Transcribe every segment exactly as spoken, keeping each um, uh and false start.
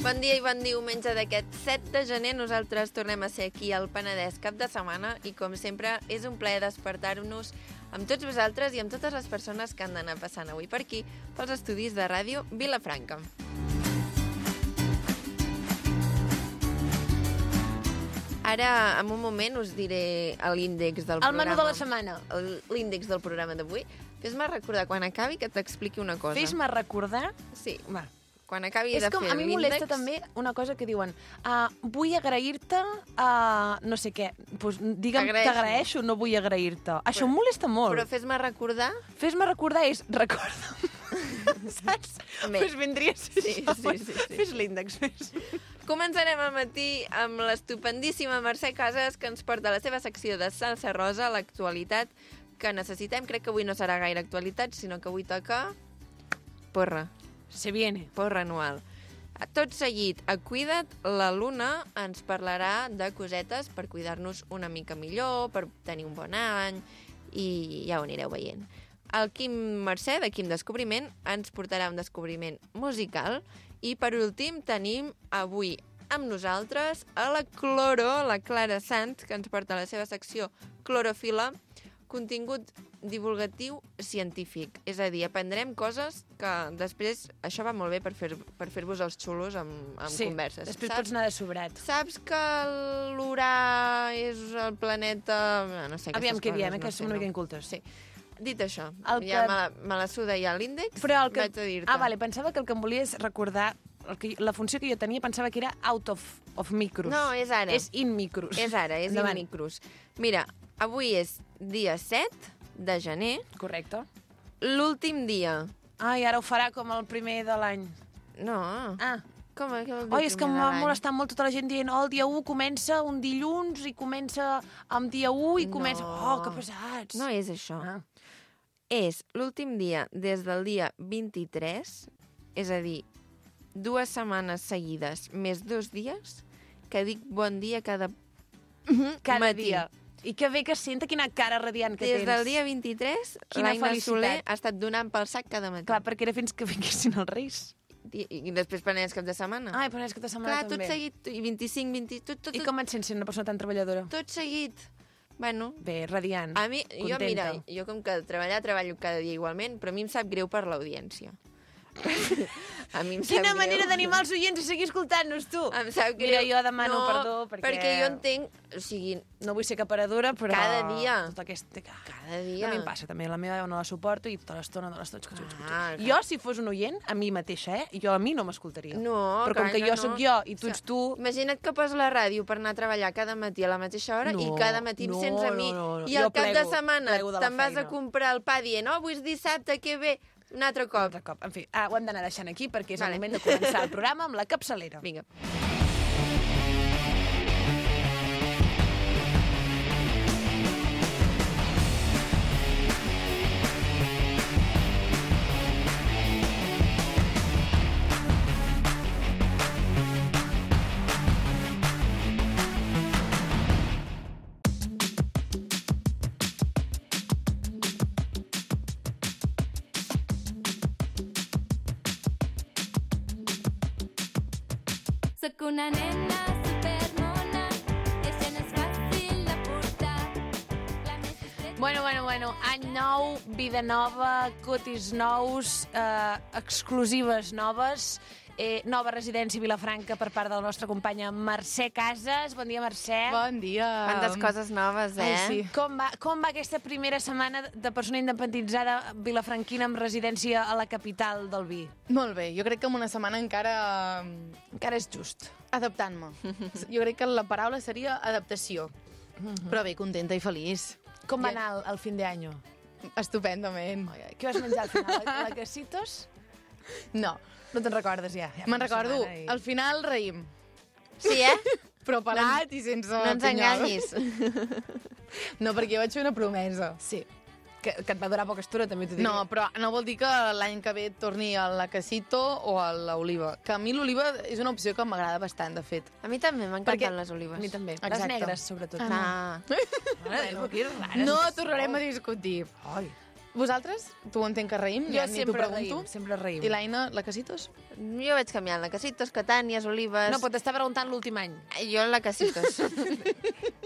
Bon dia i bon diumenge d'aquest set de gener. Nosaltres tornem a ser aquí al Penedès cap de setmana i, com sempre, és un plaer despertar-nos amb tots vosaltres i amb totes les persones que han d'anar passant avui per aquí, pels estudis de ràdio Vilafranca. Ara, en un moment, us diré l'índex del el programa. menú de la setmana. L'índex del programa d'avui. Fes-me recordar, quan acabi, que t'expliqui una cosa. Fes-me recordar... Sí, Va. quan acabi És de com, fer a mi l'índex... molesta també una cosa que diuen uh, vull agrair-te uh, no sé què. Pues, digue'm, t'agraeixo, no vull agrair-te. Això em molesta molt. Però fes-me recordar... Fes-me recordar és recorda'm. Saps? Doncs pues vindria a ser sí, això. Sí, sí, sí. Fes l'índex, fes. Començarem al matí amb l'estupendíssima Mercè Casas, que ens porta la seva secció de Salsa Rosa, l'actualitat que necessitem. Crec que avui no serà gaire actualitat, sinó que avui toca... porra. Se viene. Porra anual. Tot seguit, a Cuida't, la Luna ens parlarà de cosetes per cuidar-nos una mica millor, per tenir un bon any, i ja ho anireu veient. El Quim Mercè, de Quim Descobriment, ens portarà un descobriment musical, i per últim tenim avui amb nosaltres a la Cloro, la Clara Sant, que ens porta la seva secció Clorofila, contingut divulgatiu científic. És a dir, aprendrem coses que després... Això va molt bé per fer, per fer-vos els xulos amb, amb sí, converses. Després Saps? pots anar de sobrat. Saps que l'Urà és el planeta... No sé, Aviam què diem, eh, no que sé, som una no. mica incultes. Sí. Dit això, El ja que- me la, me la suda ja l'índex, Però el que... vaig a dir-te. Ah, vale, pensava que el que em volies recordar... El que, la funció que jo tenia pensava que era out of, of micros. No, és ara. És in micros. És ara, és Endavant. in micros. Mira, avui és dia set de gener, Correcte. l'últim dia. Ai, ara ho farà com el primer de l'any. No. Ah. Com, què vol dir Oi, és que primer de m'ha l'any? molestat molt tota la gent dient oh, el dia u comença un dilluns i comença amb dia u i No. comença... Oh, que pesats. No és això. Ah. És l'últim dia des del dia vint-i-tres, és a dir, dues setmanes seguides més dos dies, que dic bon dia cada, Cada matí. dia. I que bé que senta quina cara radiant que Des tens. del dia vint-i-tres, Quina l'Aina felicitat. Soler ha estat donant pel sac cada matí. Clar, perquè era fins que vinguessin els Reis. I, i després planees cap de setmana. Ai, però és que de setmana Clar, també. tot seguit, i vint-i-cinc, vint... Tot, tot, I tot, com et sents sent una persona tan treballadora? tot seguit. Bueno, Bé, radiant, a mi, jo, contenta. mira, jo com que treballar, treballo cada dia igualment, però a mi em sap greu per l'audiència. A mi em sap Quina greu. manera d'animar els oients a seguir escoltant-nos, tu! Em sap greu. Mira, jo demano no, perdó perquè... perquè jo entenc... O sigui, No vull ser caparadora, però... Cada dia. Tot aquest... cada dia... A mi em passa també, la meva no la suporto i tota l'estona de l'estona... Ah, Jo, si fos un oient, a mi mateixa, eh? Jo a mi no m'escoltaria. No, Però com clar que que jo no. sóc jo i tu O ets sigui, tu... Imagina't que poso la ràdio per anar a treballar cada matí a la mateixa hora No, i cada matí em no, sents a mi. no, no, no. I Jo al cap de plego, setmana plego de la te'n vas a feina. comprar el pa dient oh, avui és dissabte, que bé, un altre Un cop. altre cop. En fi, ah, ho hem d'anar deixant aquí perquè és Vale. el moment de començar el programa amb la capçalera. Vinga. Sóc una nena supermona, i això no és fàcil de portar. La més discreta... Bueno, bueno, bueno, any nou, vida nova, cotis nous, eh, exclusives noves, eh, nova residència a Vilafranca per part de la nostra companya Mercè Casas. Bon dia, Mercè. Bon dia. Quantes coses noves, eh? Ai, sí. Com va, com va aquesta primera setmana de persona independitzada vilafranquina amb residència a la capital del vi? Molt bé, jo crec que en una setmana encara Encara és just. adaptant-me. Jo crec que la paraula seria adaptació. Però bé, contenta i feliç. Com va Ja- anar el, el fin de año? Estupendament. Què vas menjar al final? La, la casitos? No, No te'n recordes ja? ja fa me'n una recordo. setmana i- Al final reïm, Sí, eh? però pelat i sense No ens pinyol. enganyis. No, perquè jo vaig fer una promesa. Sí, que, que et va durar poca estona, també t'ho diré. No, però no vol dir que l'any que ve torni a la Casito o a l'Oliva. Que a mi l'Oliva és una opció que m'agrada bastant, de fet. A mi també m'encanten Perquè- les olives. A mi també. Exacte. Les negres, sobretot. Ah, Mare de Déu, que rares. No tornarem a discutir. Ai. Vosaltres? Tu ho entenc que reïm? Jo Ja ni t'ho sempre pregunto. reïm, sempre reïm. I l'Aina, la Casitos? Jo vaig canviant la Casitos, Catànies, Olives... No, però t'estava preguntant l'últim any. Jo la Casitos.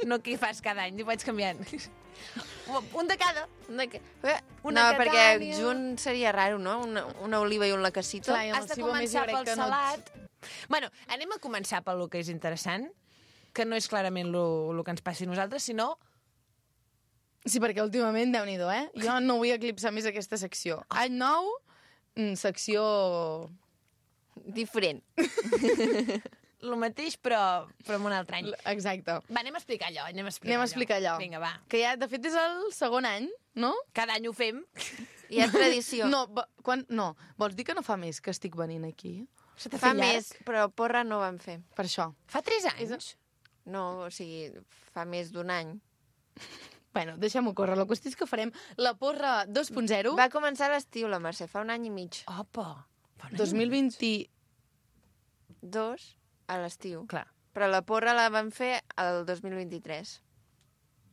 No què hi fas cada any, ho vaig canviant. Un de cada. Una que... Una no, perquè Catània. junt seria raro, no? Una, una oliva i un lacasito. Clar, i amb Has el de Cibo més jo començar crec pel que no et- salat. Bueno, anem a començar pel que és interessant, que no és clarament el que ens passi a nosaltres, sinó... Sí, perquè últimament, Déu-n'hi-do, eh? Jo no vull eclipsar més aquesta secció. Any nou, mm, secció... Diferent. El mateix, però, però en un altre any. Exacte. Va, anem a explicar allò, anem a explicar Anem a explicar allò. Vinga, va. Que ja, de fet, és el segon any, no? Cada any ho fem. Hi ha tradició. No, va- quan, no, vols dir que no fa més que estic venint aquí? Se t'ha Fa fet llarg? més, però porra no vam fer. Per això. Fa tres anys? No, o sigui, fa més d'un any. Bueno, deixem-ho córrer. La qüestió és que farem la porra dos punt zero Va començar a l'estiu, la Mercè, fa un any i mig. Opa! Fa un any dos mil vint... Dos a l'estiu. Clar. Però la porra la vam fer el dos mil vint-i-tres.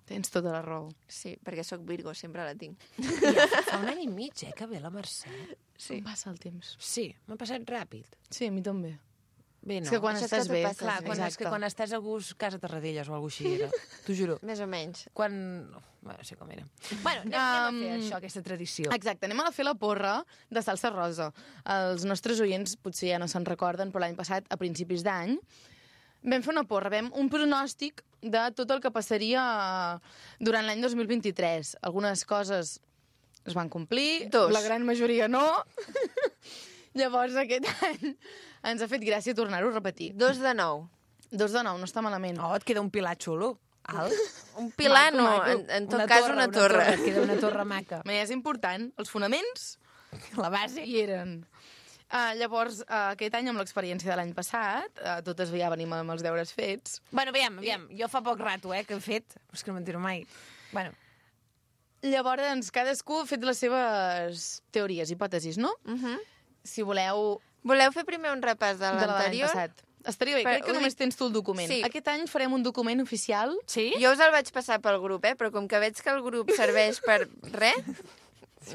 Tens tota la raó. Sí, perquè sóc Virgo, sempre la tinc. Ja, fa un any i mig, eh, que ve la Mercè. Sí. Com passa el temps? Sí, m'ha passat ràpid. Sí, a mi també. Bé, no. És que quan Això és estàs que tu bé... passes Clar, bé. quan, és que quan estàs a gust, casa Tarradellas o alguna cosa així era. T'ho juro. Més o menys. Quan... Bueno, no sé com era. Bueno, anem, anem a fer Um, això, aquesta tradició. Exacte, anem a fer la porra de salsa rosa. Els nostres oients potser ja no se'n recorden, però l'any passat, a principis d'any, vam fer una porra, vam un pronòstic de tot el que passaria durant l'any dos mil vint-i-tres. Algunes coses es van complir, Dos. la gran majoria no. Llavors, aquest any ens ha fet gràcia tornar-ho a repetir. Dos de nou. Dos de nou, no està malament. Oh, et queda un pilar xulo. Alt. Un pilar, Maco, no, maco. en, en tot cas una torre. Et queda una torre maca. Però és important, els fonaments La base. hi eren. Uh, llavors, uh, aquest any, amb l'experiència de l'any passat, uh, totes ja venim amb els deures fets. Bueno, aviam, aviam. Jo fa poc rato, eh, que he fet. Però és que no m'entero mai. Bueno, Llavors, cadascú ha fet les seves teories, hipòtesis, no? Uh -huh. Si voleu, Voleu fer primer un repàs de de l'any l'anterior? passat. Estaria bé, Però crec que ho només dic- tens tu el document. Sí. Aquest any farem un document oficial. sí? Jo us el vaig passar pel grup, eh? Però com que veig que el grup serveix per res,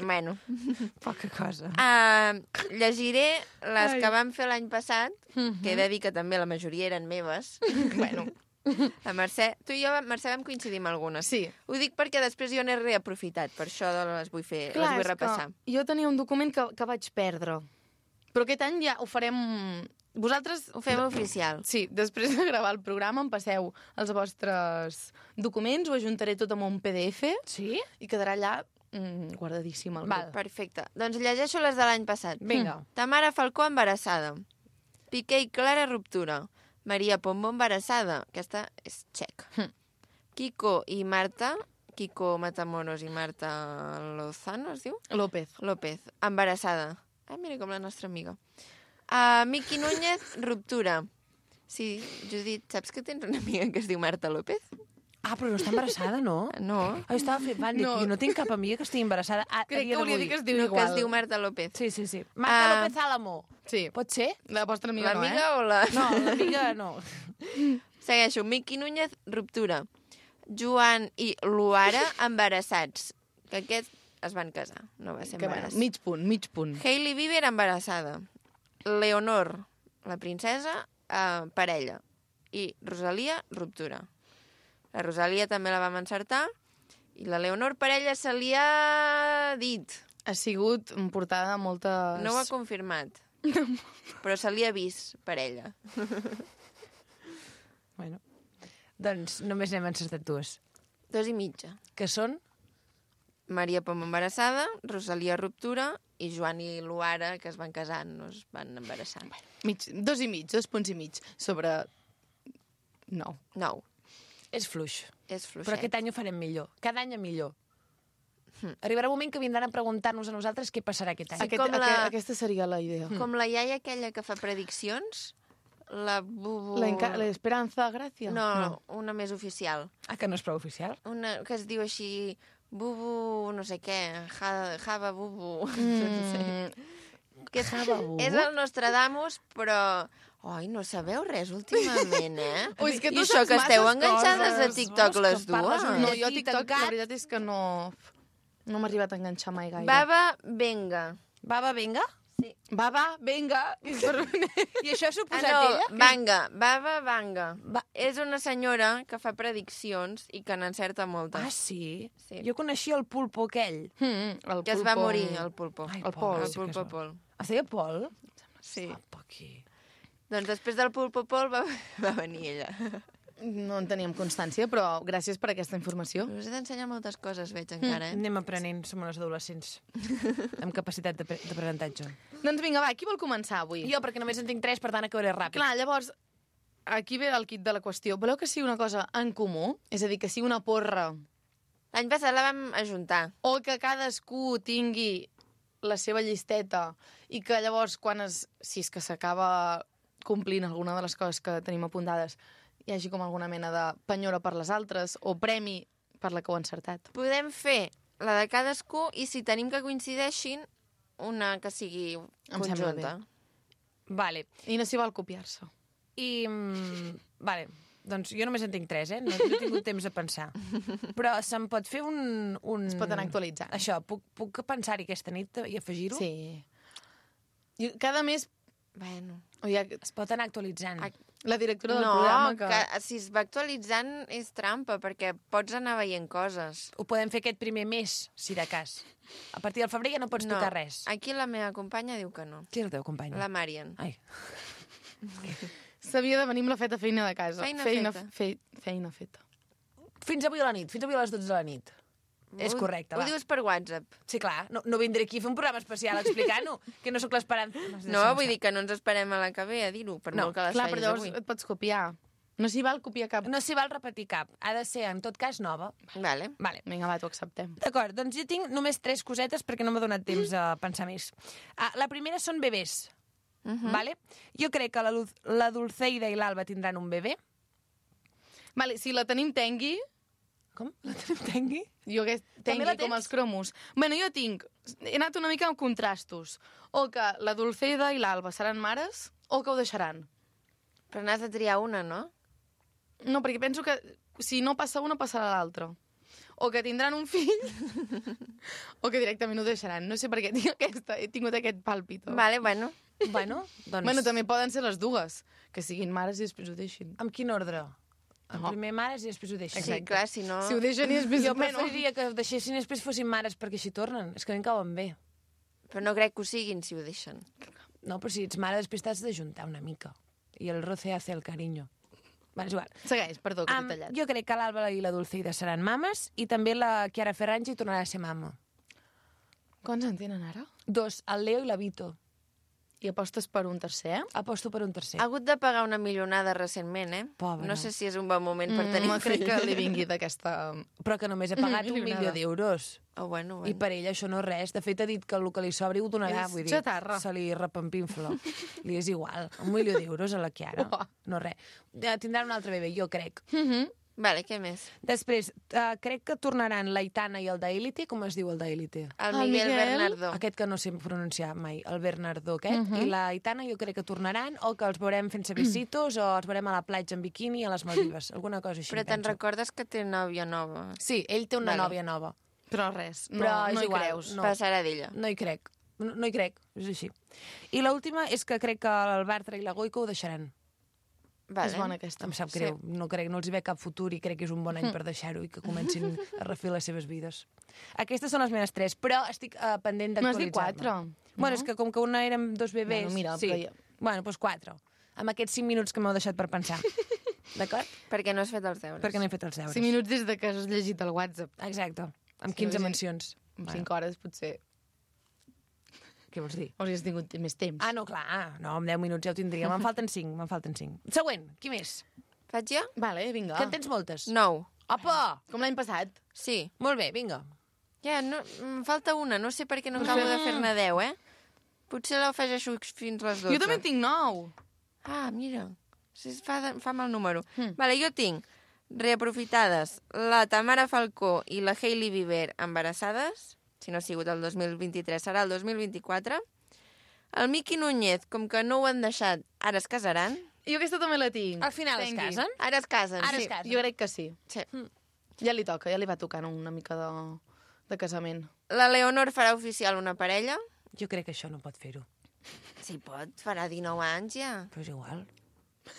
bueno. Poca cosa. Uh, llegiré les Ai. que vam fer l'any passat, Mhm. que he de dir que també la majoria eren meves. bueno, la Mercè... Tu i jo, Mercè, vam coincidir amb algunes. Sí. Ho dic perquè després jo n'he reaprofitat, per això les vull fer, les vull és repassar. que jo tenia un document que, que vaig perdre. Però aquest any ja ho farem... Vosaltres... Ho fem oficial. Sí, després de gravar el programa em passeu els vostres documents, ho ajuntaré tot amb un P D F Sí? i quedarà allà mm, guardadíssim al Val. grup. Perfecte. Doncs llegeixo les de l'any passat. Vinga. Tamara Falcó embarassada. Piqué i Clara ruptura. Maria Pombo embarassada. Aquesta és txec. Hm. Kiko i Marta, Kiko Matamoros i Marta Lozano, es diu? López. López, embarassada. Ai, mira com la nostra amiga. Uh, Miqui Núñez, ruptura. Sí, Judit, saps que tens una amiga que es diu Marta López? Ah, però no està embarassada, no? No. Ah, estava flipant. Dic, No. jo no tinc cap amiga que estigui embarassada a, a Crec dia que hauria de d'avui. dir que es diu No, igual. que es diu Marta López. Sí, sí, sí. Marta Ah. López Álamo. Sí, Pot ser? la vostra amiga no, L'amiga eh? o la... No, l'amiga no. Segueixo. Miqui Núñez, ruptura. Joan i Luara, embarassats. Que aquests es van casar, no va ser Que, bueno, embaràs. mig punt, mig punt. Hailey Bieber, embarassada. Leonor, la princesa, eh, parella. I Rosalia, ruptura. La Rosalia també la vam encertar. I la Leonor, parella, se li ha dit. Ha sigut portada de moltes... No ho ha confirmat. Però se li ha vist parella. Bueno, doncs només n'hem encertat dues. Dos i mitja. Que són? Maria Pom embarassada, Rosalia ruptura i Joan i Luara, que es van casar, no es van embarassar. Mig, dos i mig, dos punts i mig, sobre nou. Nou. És fluix. És fluixet. Però aquest any ho farem millor. Cada any a millor. Hm. Arribarà un moment que vindran a preguntar-nos a nosaltres què passarà aquest any. Sí, Aquest, com la- aqu aquesta seria la idea. Com la iaia aquella que fa prediccions, la Bubu... La enca- L'Esperanza Gràcia? No, no, una més oficial. Ah, que no és prou oficial? Una que es diu així... Bubu, no sé què, ja, Java Bubu. Mm, que és, Java Bubu? és el Nostradamus, però... Ai, no sabeu res últimament, eh? Ui, és que I tu això saps que esteu masses enganxades a coses. TikTok Vols que les em parles dues. un no, llatí jo a TikTok tancat? la veritat és que no... No m'ha arribat a enganxar mai gaire. Baba Venga. Baba, vinga? Baba, venga. I això s'ho ha Ah, posat no, ella? Vanga. Baba Vanga. Va... És una senyora que fa prediccions i que n'encerta moltes. Ah, sí? Sí. Jo coneixia el pulpo aquell. Mm, el Que es va pulpo. morir, el pulpo. Ai, El pobre, Pol. El sí que pulpo es va- Pol. Es deia Pol? Sí. Apa, aquí. Doncs després del pulpo Pol va, va venir ella. No en teníem constància, però gràcies per aquesta informació. Us he d'ensenyar moltes coses, veig encara, eh? Anem aprenent, som unes adolescents amb capacitat d'apre- d'aprenentatge. Doncs vinga, va, qui vol començar avui? Jo, perquè només en tinc tres, per tant acabaré ràpid. Clar, llavors, aquí ve el kit de la qüestió. Voleu que sigui una cosa en comú? És a dir, que sigui una porra L'any passat la vam ajuntar. o que cadascú tingui la seva llisteta i que llavors, quan es, si és que s'acaba complint alguna de les coses que tenim apuntades, hi hagi com alguna mena de penyora per les altres o premi per la que ho ha encertat. Podem fer la de cadascú i si tenim que coincideixin, una que sigui Em sembla conjunta. Vale. I no s'hi val copiar-se. I... mm, Vale. Doncs jo només en tinc tres, eh? No, no he tingut temps a pensar. Però se'm pot fer un... un... Es pot anar actualitzant. Això, puc, puc pensar-hi aquesta nit i afegir-ho? Sí. I cada mes... Bueno. O ja, Es pot anar actualitzant. Ac- la directora del No, programa que... que si es va actualitzant és trampa, perquè pots anar veient coses. Ho podem fer aquest primer mes, si de cas. A partir del febrer ja no pots no, tocar res. Aquí la meva companya diu que no. Qui és el teu company? La Marian. Ai, S'havia de venir amb la feta feina de casa. Feina feina feta. Fe, feina feta. fins avui a la nit, fins avui a les dotze de la nit. És Ho- correcte, Ho va. dius per WhatsApp. Sí, clar, no, no vindré aquí a fer un programa especial explicant-ho, que no sóc l'esperança. No, vull dir que no ens esperem a la que ve a dir-ho, per No, molt que les Clar, però facis llavors avui. et pots copiar. No s'hi val copiar cap... No s'hi val repetir cap. Ha de ser, en tot cas, nova. Vale. Vale. Vinga, va, t'ho acceptem. D'acord, doncs jo tinc només tres cosetes perquè no m'ha donat temps a pensar més. Ah, la primera són bebès. Uh -huh. Vale? Jo crec que la, Luz- la Dulceida i l'Alba tindran un bebè. Vale, si la tenim tengui, Com? La tengui? jo que També tengui la com tens? els cromos. Bueno, jo tinc... He anat una mica amb contrastos. O que la Dulceida i l'Alba seran mares, o que ho deixaran. Però n'has de triar una, no? No, perquè penso que si no passa una, passarà l'altra. O que tindran un fill, o que directament ho deixaran. No sé per què tinc aquesta, he tingut aquest pàlpito. Vale, bueno. Bueno, doncs... Bueno, també poden ser les dues, que siguin mares i després ho deixin. Amb quin ordre? En No. primer mares i després ho deixen. Sí, clar, si no... Si ho deixen i després... Jo bueno, preferiria que ho deixessin i després fossin mares perquè així tornen. És que a mi em cauen bé. Però no crec que ho siguin si ho deixen. No, però si ets mare després t'has d'ajuntar una mica. I el roce hace el cariño. Va, és igual. Segueix, perdó, que Um, t'he tallat. jo crec que l'Alba i la Dulceida seran mames i també la Chiara Ferragni tornarà a ser mama. Quants en tenen ara? Dos, el Leo i la Vito. I apostes per un tercer? Aposto per un tercer. Ha hagut de pagar una milionada recentment, eh? Pobra. No sé si és un bon moment per Mm, tenir no un crec fill. que li vingui d'aquesta... Però que només he pagat un Milionada. milió d'euros. Oh, bueno, I bueno. per ella això no és res. De fet, ha dit que el que li sobri ho donarà. És Vull dir, xatarra. se li repampinfla. Li és igual. Un milió d'euros a la Chiara. Uah. No res. Eh, Tindran un altre bebè, jo crec. Vale, què més? Després, uh, crec que tornaran l'Aitana i el d'Elite. Com es diu el d'Elite? El El Miguel, Miguel? Bernardo. Aquest que no sé pronunciar mai, el Bernardo aquest, i la Aitana jo crec que tornaran, o que els veurem fent besitos, o els veurem a la platja en biquini a les Maldives, alguna cosa així, Però te'n penso. recordes que té nòvia nova? Sí, ell té una Vale. nòvia nova, Però res, no, però és no hi igual, creus. no, Passarà d'ella. no hi crec, no, no hi crec, és així. I l'última és que crec que el Bartra i la Goico ho deixaran. Vale. És bona aquesta. Em sap greu, no, crec, no els hi ve cap futur i crec que és un bon any per deixar-ho i que comencin a refer les seves vides. Aquestes són les meves tres, però estic uh, pendent No has dit d'actualitzar-me. quatre? Bueno, és que com que una érem dos bebès... Bueno, mira, sí. però ja- Bueno, doncs quatre. Amb aquests cinc minuts que m'heu deixat per pensar. D'acord? Perquè no has fet els deures. Perquè no he fet els deures. Cinc minuts des de que has llegit el WhatsApp. Exacte. Amb Si quinze no haguessin- mencions. En Bueno, cinc hores, potser, què vols dir? hauries tingut més temps. Ah, no, clar. No, amb deu minuts ja ho tindria. Me'n falten cinc, me'n falten cinc. Següent, qui més? Faig jo? Vale, vinga. Que en tens moltes? Nou. Apa! Com l'any passat. Sí. Molt bé, vinga. Ja, no, em falta una. No sé per què no acabo de fer-ne deu, eh? Potser l'afegeixo fins les dotze. Jo també en tinc nou. Ah, mira. Sí, fa, de- fa mal número. Hmm. Vale, jo tinc reaprofitades la Tamara Falcó i la Hailey Bieber embarassades. Si no ha sigut el dos mil vint-i-tres, serà el dos mil vint-i-quatre. El Miqui Núñez, com que no ho han deixat, ara es casaran. Jo aquesta també la tinc. Al final es Tengui. casen? Ara es casen, Ara sí. es casen. Jo crec que sí. Sí. Ja li toca, ja li va tocant una mica de, de casament. La Leonor farà oficial una parella. Jo crec que això no pot fer-ho. Sí, pot, farà dinou anys ja. Però és igual.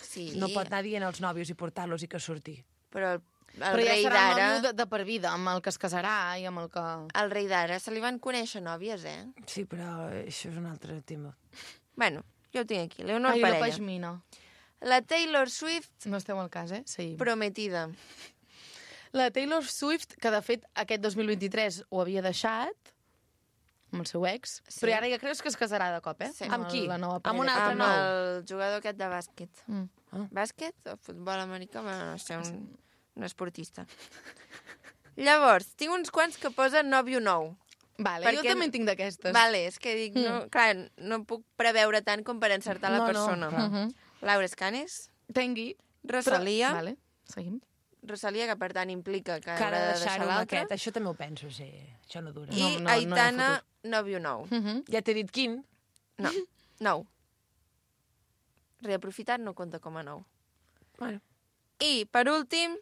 Sí. No pot anar dient als nòvios i portar-los i que surti. Però el, el Però ja rei serà d'ara... nòvio de, de per vida, amb el que es casarà i amb el que... El rei d'ara se li van conèixer nòvies, eh? Sí, però això és un altre tema. Bueno, jo ho tinc aquí. Leonor Ai, la parella. pashmina. La Taylor Swift No esteu al cas, eh? Sí. prometida. La Taylor Swift, que de fet aquest dos mil vint-i-tres ho havia deixat amb el seu ex, Sí. però ara ja creus que es casarà de cop, eh? Sí. Amb qui? La nova Amb un parella. altre Amb nou. el jugador aquest de bàsquet. Mm. Ah. Bàsquet o futbol americà? Bueno, no sé, un, un esportista. Llavors, tinc uns quants que posen nòvio nou. Vale, Perquè- jo també en tinc d'aquestes. Vale, és que dic, no, clar, no puc preveure tant com per encertar la No, no, persona. clar. Mhm. Laura Escanes, Tengui. Rosalia, Vale, seguim. Rosalia, que per tant implica que, Que haurà ara de de deixar deixar-ho amb l'altre, aquest. Això també ho penso, sí. Això no dura. i No, no, no hi ha Aitana, futur. nòvio nou. Mhm. Ja t'he dit quin. No, nou. Reaprofitat no compta com a nou. Bueno. I, per últim,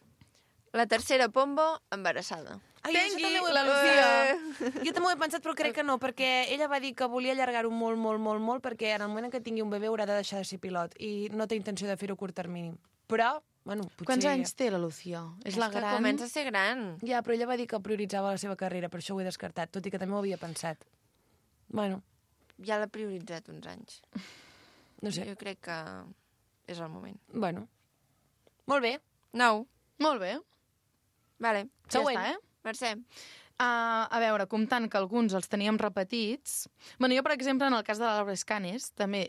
la tercera Pombo, embarassada. Ai, Tengui, això també ho he la pensat. Lucía. Jo també ho he pensat, però crec que no, perquè ella va dir que volia allargar-ho molt, molt, molt, molt, perquè en el moment en què tingui un bebè haurà de deixar de ser pilot i no té intenció de fer-ho a curt termini. Però, bueno, potser... Quants anys té la Lucía? És, la que gran... comença a ser gran. Ja, però ella va dir que prioritzava la seva carrera, per això ho he descartat, tot i que també ho havia pensat. Bueno, Ja l'ha prioritzat uns anys. no sé. Jo crec que és el moment. Bueno. Molt bé. Nou. Molt bé. Vale. Següent. Ja està, eh? Mercè. Uh, a veure, comptant que alguns els teníem repetits... Bueno, jo, per exemple, en el cas de la Laura Escanes, també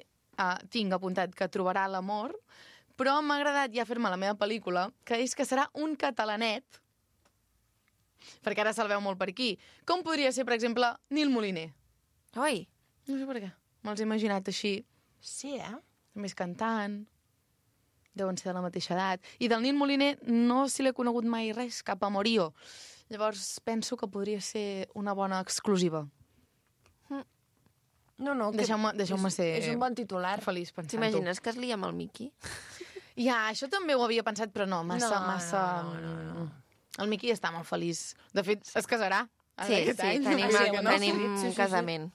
uh, tinc apuntat que trobarà l'amor, però m'ha agradat ja fer-me la meva pel·lícula, que és que serà un catalanet, perquè ara se'l veu molt per aquí. Com podria ser, per exemple, Nil Moliner? Oi, No sé per què. Me'ls he imaginat així. Sí, eh? També és cantant, deuen ser de la mateixa edat. I del Nil Moliner no se l'he conegut mai res, cap amorío. Llavors penso que podria ser una bona exclusiva. No, no. que Deixeu-me deixeu és, ser És un bon titular. feliç pensant-ho. t'imagines que es lia amb el Miqui? Ja, això també ho havia pensat, però no, massa... No, massa... no, no, no. El Miqui està molt feliç. De fet, es casarà. Sí, aquest sí, any. tenim, Ah, sí, que no? tenim Sí, sí, un sí, sí. casament.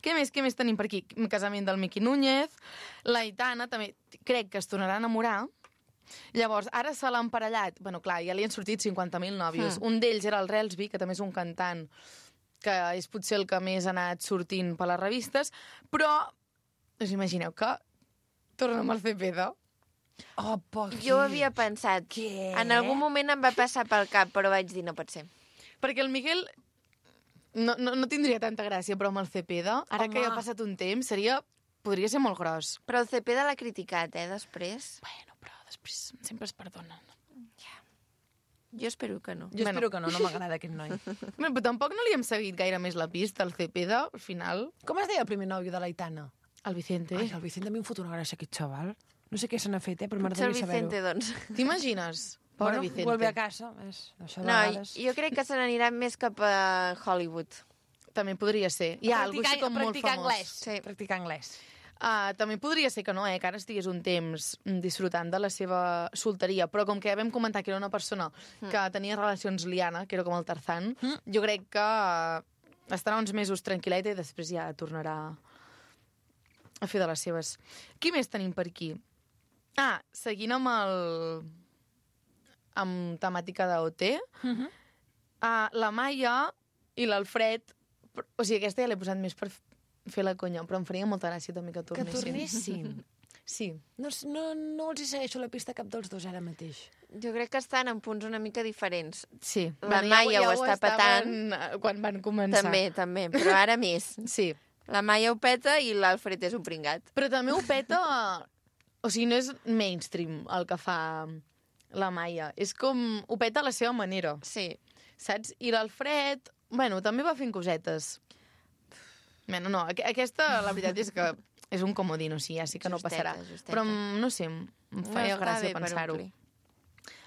Què més, què més tenim per aquí? Un casament del Miqui Núñez. L'Aitana també crec que es tornarà a enamorar. Llavors, ara se l'ha emparellat. Bueno, clar, ja li han sortit cinquanta mil nòvios. Mm. Un d'ells era el Relsby, que també és un cantant que és potser el que més ha anat sortint per les revistes, però us imagineu que torna amb el Cepeda? Oh, poc. Jo ho havia pensat. Què? En algun moment em va passar pel cap, però vaig dir no pot ser. Perquè el Miguel no, no, no tindria tanta gràcia, però amb el Cepeda, ara Home. que ja ha passat un temps, seria, podria ser molt gros. Però el Cepeda l'ha criticat, eh, després. Bueno, però després sempre es perdonen. Jo espero que no. Jo Bueno. espero que no, no m'agrada aquest noi. Bé, però tampoc no li hem seguit gaire més la pista, el Cepeda, al final. Com es deia el primer nòvio de l'Aitana? El Vicente. Ai, el Vicente a mi em fot una gràcia, aquest xaval. No sé què se n'ha fet, eh, però Potser el m'agradaria saber-ho. Vicente, doncs. T'imagines? Pobre Bueno, Vicente. vuelve a casa. És, això de No, vegades... jo crec que se n'anirà més cap a Hollywood. També podria ser. Hi ha algú així com molt practicar famós. anglès. Sí. Practicar anglès. Uh, també podria ser que no, eh, que ara estigués un temps disfrutant de la seva solteria, però com que ja vam comentar que era una persona que tenia relacions liana, que era com el Tarzan, Mm. jo crec que uh, estarà uns mesos tranquil·leta i després ja tornarà a fer de les seves. Qui més tenim per aquí? Ah, seguint amb el... amb temàtica d'O T, Uh -huh. uh, la Maia i l'Alfred, o sigui, aquesta ja l'he posat més per fer la conya, però em faria molta gràcia també que Que tornessin. tornessin. Sí. No, no, no els hi segueixo la pista a cap dels dos ara mateix. Jo crec que estan en punts una mica diferents. Sí. La Maia ho està estaven, eh, quan van començar. També, també, però ara més. Sí. La Maia ho peta i l'Alfred és un pringat. Però també ho peta... O sigui, no és mainstream el que fa la Maia. És com... Ho peta a la seva manera, Sí. saps? I l'Alfred, bueno, també va fent cosetes. Bueno, no, aqu aquesta, la veritat és que és un comodín, o sigui, ja sí que no Justeta, passarà. justeta. Però, no sé, em em feia està gràcia bé per pensar-ho. omplir.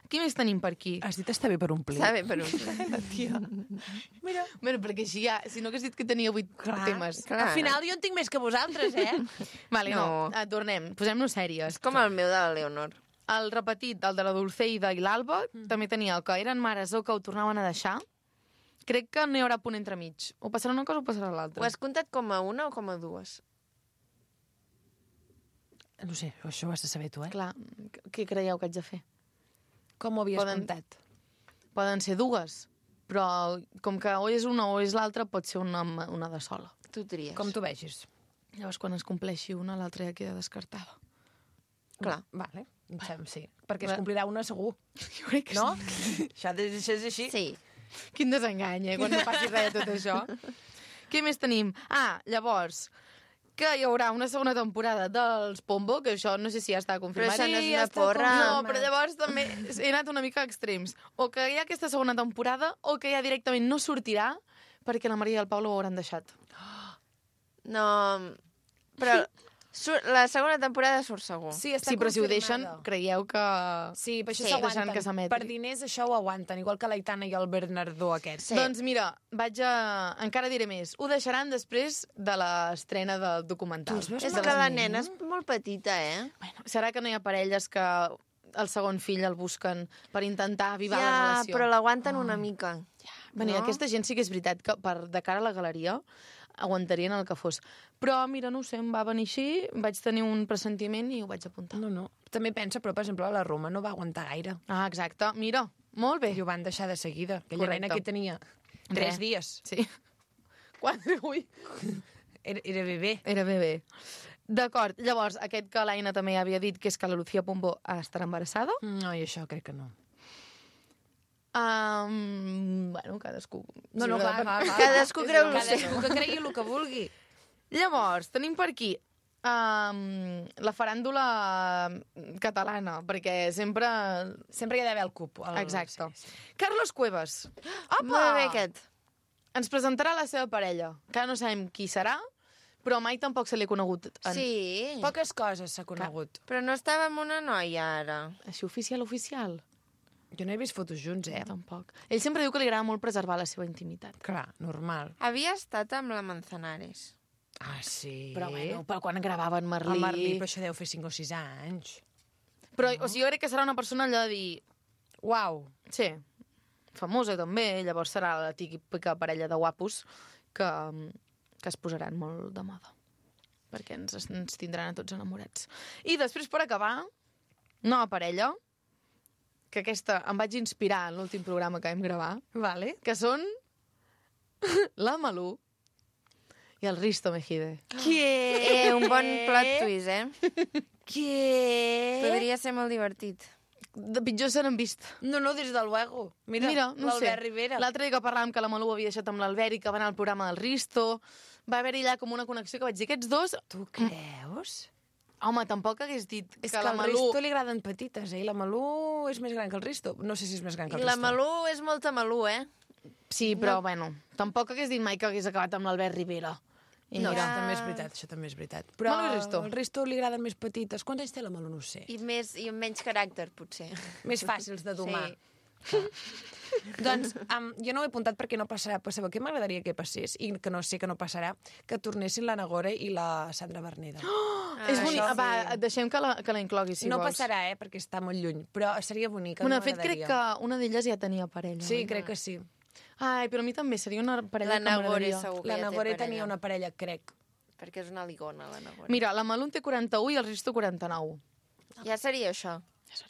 Qui més tenim per aquí? Has dit està bé per omplir. Està bé per omplir. Tia. Mira. Bueno, perquè així ja... Si no hagués dit que tenia vuit Clar, temes. clar. Al final jo en tinc més que vosaltres, eh? Vale, no, No. no. tornem. Posem-nos sèries. És com el meu de la Leonor. El repetit, el de la Dulceida i l'Alba, mm. també tenia el que eren mares o que ho tornaven a deixar, crec que no hi haurà punt entre mig. O passarà una cosa o passarà l'altra. Ho has comptat com a una o com a dues? No sé, això ho has de saber tu, eh? Clar, què creieu que haig de fer? Com ho havies Poden- comptat? Poden ser dues, però com que o és una o és l'altra, pot ser una, una de sola. Tu tries. Com tu vegis? Llavors, quan es compleixi una, l'altra ja queda descartada. Clar. Vale, em sembla, sí. Perquè Clar. es complirà una segur, Jo crec que no? sí. Això ha de ser així. Sí. Quin desengany, eh, quan no passi res de tot això. Què més tenim? Ah, llavors, que hi haurà una segona temporada dels Pombo, que això no sé si ja està Però confirmat. això no és Sí, una està porra. No, però llavors també he anat una mica a extrems. O que hi ha aquesta segona temporada, o que ja directament no sortirà perquè la Maria i el Pau ho hauran deixat. No, però sur la segona temporada surt segur. Sí, està Sí, però si ho deixen, confirmada. creieu que... Sí, per això Sí, s'aguanten. deixant que s'emeti. Per diners això ho aguanten, igual que l'Aitana i el Bernardó aquest. Sí. Doncs mira, vaig a... encara diré més. Ho deixaran després de l'estrena del documental. Tu els veus És molt que la nen, nena no? és molt petita, eh? Bueno, serà que no hi ha parelles que el segon fill el busquen per intentar avivar la Ja, relació? però l'aguanten una mica. Bueno, no? aquesta gent sí que és veritat que per, de cara a la galeria aguantarien el que fos. Però, mira, no ho sé, em va venir així, vaig tenir un pressentiment i ho vaig apuntar. No, no. També pensa, però, per exemple, la Roma no va aguantar gaire. Ah, exacte. Mira, molt bé. I ho van deixar de seguida. Aquella Correcte. nena que tenia tres Res. dies. Sí. Quatre, ui. Era, era bebè. Era bebè. D'acord, llavors, aquest que l'Aina també havia dit, que és que la Lucía Pombo estarà embarassada. No, i això crec que no. Um, bueno, cadascú... No, no, Sí, va, per- va, va. Cadascú És creu broma. el seu. Cadascú que cregui el que vulgui. Llavors, tenim per aquí um, la faràndula catalana, perquè sempre... Sempre hi ha d'haver el cupo. El... Exacte. Sí, sí. Carlos Cuevas Molt bé aquest. ens presentarà la seva parella, que no sabem qui serà, però mai tampoc se li ha conegut. En... Sí. Poques coses s'ha conegut. Però no estava amb una noia, ara. Així oficial, oficial? Jo no he vist fotos junts, eh? Tampoc. Ell sempre diu que li agrada molt preservar la seva intimitat. Clar, normal. Havia estat amb la Manzanares. Ah, sí? Però, bueno, però quan gravaven Merlí... El Merlí, però això deu fer cinc o sis anys. Però, o sigui, jo crec que serà una persona allò de dir... Uau. Sí, famosa també, llavors serà la típica parella de guapos que, que es posaran molt de moda. Perquè ens, ens tindran a tots enamorats. I després, per acabar, nova parella, que aquesta em vaig inspirar en l'últim programa que vam gravar, Vale. que són la Malú i el Risto Mejide. Què? Eh, un bon plot twist, eh? Què? Podria ser molt divertit. De pitjor se n'han vist. No, no, des de luego. Mira, Mira no sé. l'Albert Rivera. L'altre dia que parlàvem que la Malú havia deixat amb l'Albert i que va anar al programa del Risto, va haver-hi allà com una connexió que vaig dir, aquests dos... Tu creus? Home, tampoc hagués dit És que que la al Malú... Risto li agraden petites, eh? I la Malú és més gran que el Risto. No sé si és més gran que I el la Risto. Malú és molta Malú, eh? Sí, però, bueno, tampoc hagués dit mai que hagués acabat amb l'Albert Rivera. I No, mira, això també és veritat, això també és veritat. Però Malú i Risto. al Risto li agraden més petites. Quants anys té la Malú? No ho sé. I, més, i amb menys caràcter, potser. Més fàcils de domar. Sí. Doncs um, jo no ho he apuntat perquè no passarà. Però sabeu què m'agradaria que passés? I que no sé que no passarà, que tornessin la Nagore i la Sandra Berneda. Oh, Ah, és bonic. això Va, sí. deixem que la, que la inclogui, si no vols. passarà, eh? Perquè està molt lluny. Però seria bonic. Bueno, de fet, crec que una d'elles ja tenia parella. Sí, oi? crec que sí. Ai, però a mi també seria una parella La que Nagore m'agradaria. segur que La ja té Nagore parella. tenia una parella, crec. Perquè és una ligona, la Nagore. Mira, la Malú en té quaranta-u i el Risto quaranta-nou. Ja seria això.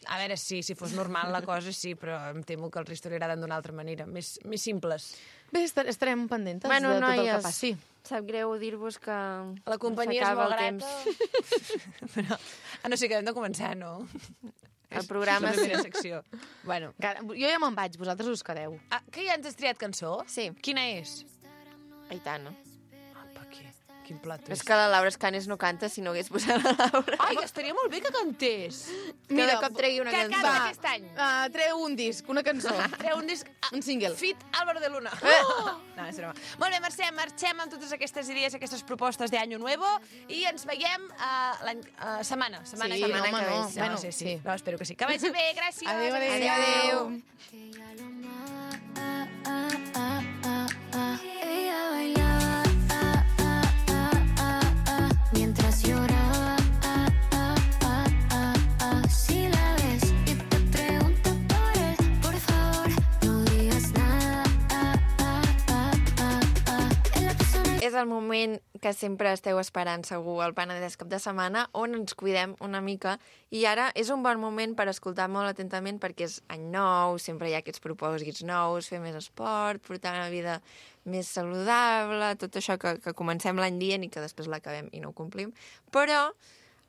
A veure, sí, si fos normal la cosa, sí, però em temo que el Risto li agraden d'una altra manera. Més, més simples. Bé, estar, estarem pendentes Bueno, de tot el que noies, passi. sap greu dir-vos que La companyia és s'acaba molt el grata. Però, ah, no sé, que hem de començar, no? El programa És la sí. primera secció. Bueno. Encara- Jo ja me'n vaig, vosaltres us quedeu. Ah, que ja ens has triat cançó? Sí. Quina és? Aitana. Ah, per què? Quin plat És que la Laura Escanes no canta si no hagués posat la Laura. Ai, estaria molt bé que cantés. Cada cop tregui una que cançó. canta Va. aquest any. Uh, treu un disc, una cançó. Treu un disc... Un single. Fit Álvaro de Luna. Oh! No, és broma. Molt bé, Mercè, marxem amb totes aquestes idees, aquestes propostes d'Año Nuevo i ens veiem uh, l'any... Uh, setmana. Setmana Sí, que ve. no, home, que ve, no. sí. Bueno, sí, sí. sí. No, espero que sí. Que vagi bé, gràcies. Adéu, adéu. Adéu. Que ya lo ella bailaba mientras lloraba. Si la ves y te pregunta por él, por favor no digas nada. és el moment que sempre esteu esperant segur al Penedès cap de setmana, on ens cuidem una mica, i ara és un bon moment per escoltar molt atentament perquè és any nou, sempre hi ha aquests propòsits nous, fer més esport, portar una vida més saludable, tot això que, que comencem l'any dient i que després l'acabem i no ho complim, però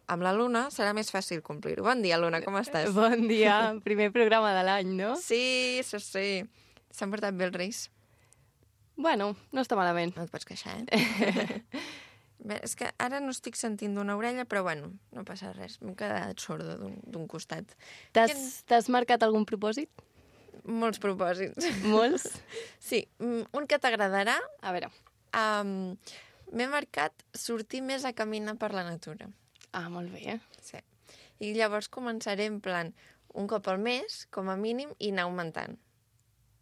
amb la Luna serà més fàcil complir-ho. Bon dia, Luna, com estàs? Bon dia, primer programa de l'any, no? Sí, sí, sí. S'han portat bé els Reis? Bueno, no està malament. No et pots queixar, eh? Bé, és que ara no estic sentint d'una orella, però bueno, no passa res. M'he quedat sorda d'un costat. T'has t'has marcat algun propòsit? Molts propòsits. Molts? Sí, un que t'agradarà. A veure. Um, M'he marcat sortir més a caminar per la natura. Ah, molt bé. Sí. I llavors començaré en plan un cop al mes, com a mínim, i anar augmentant.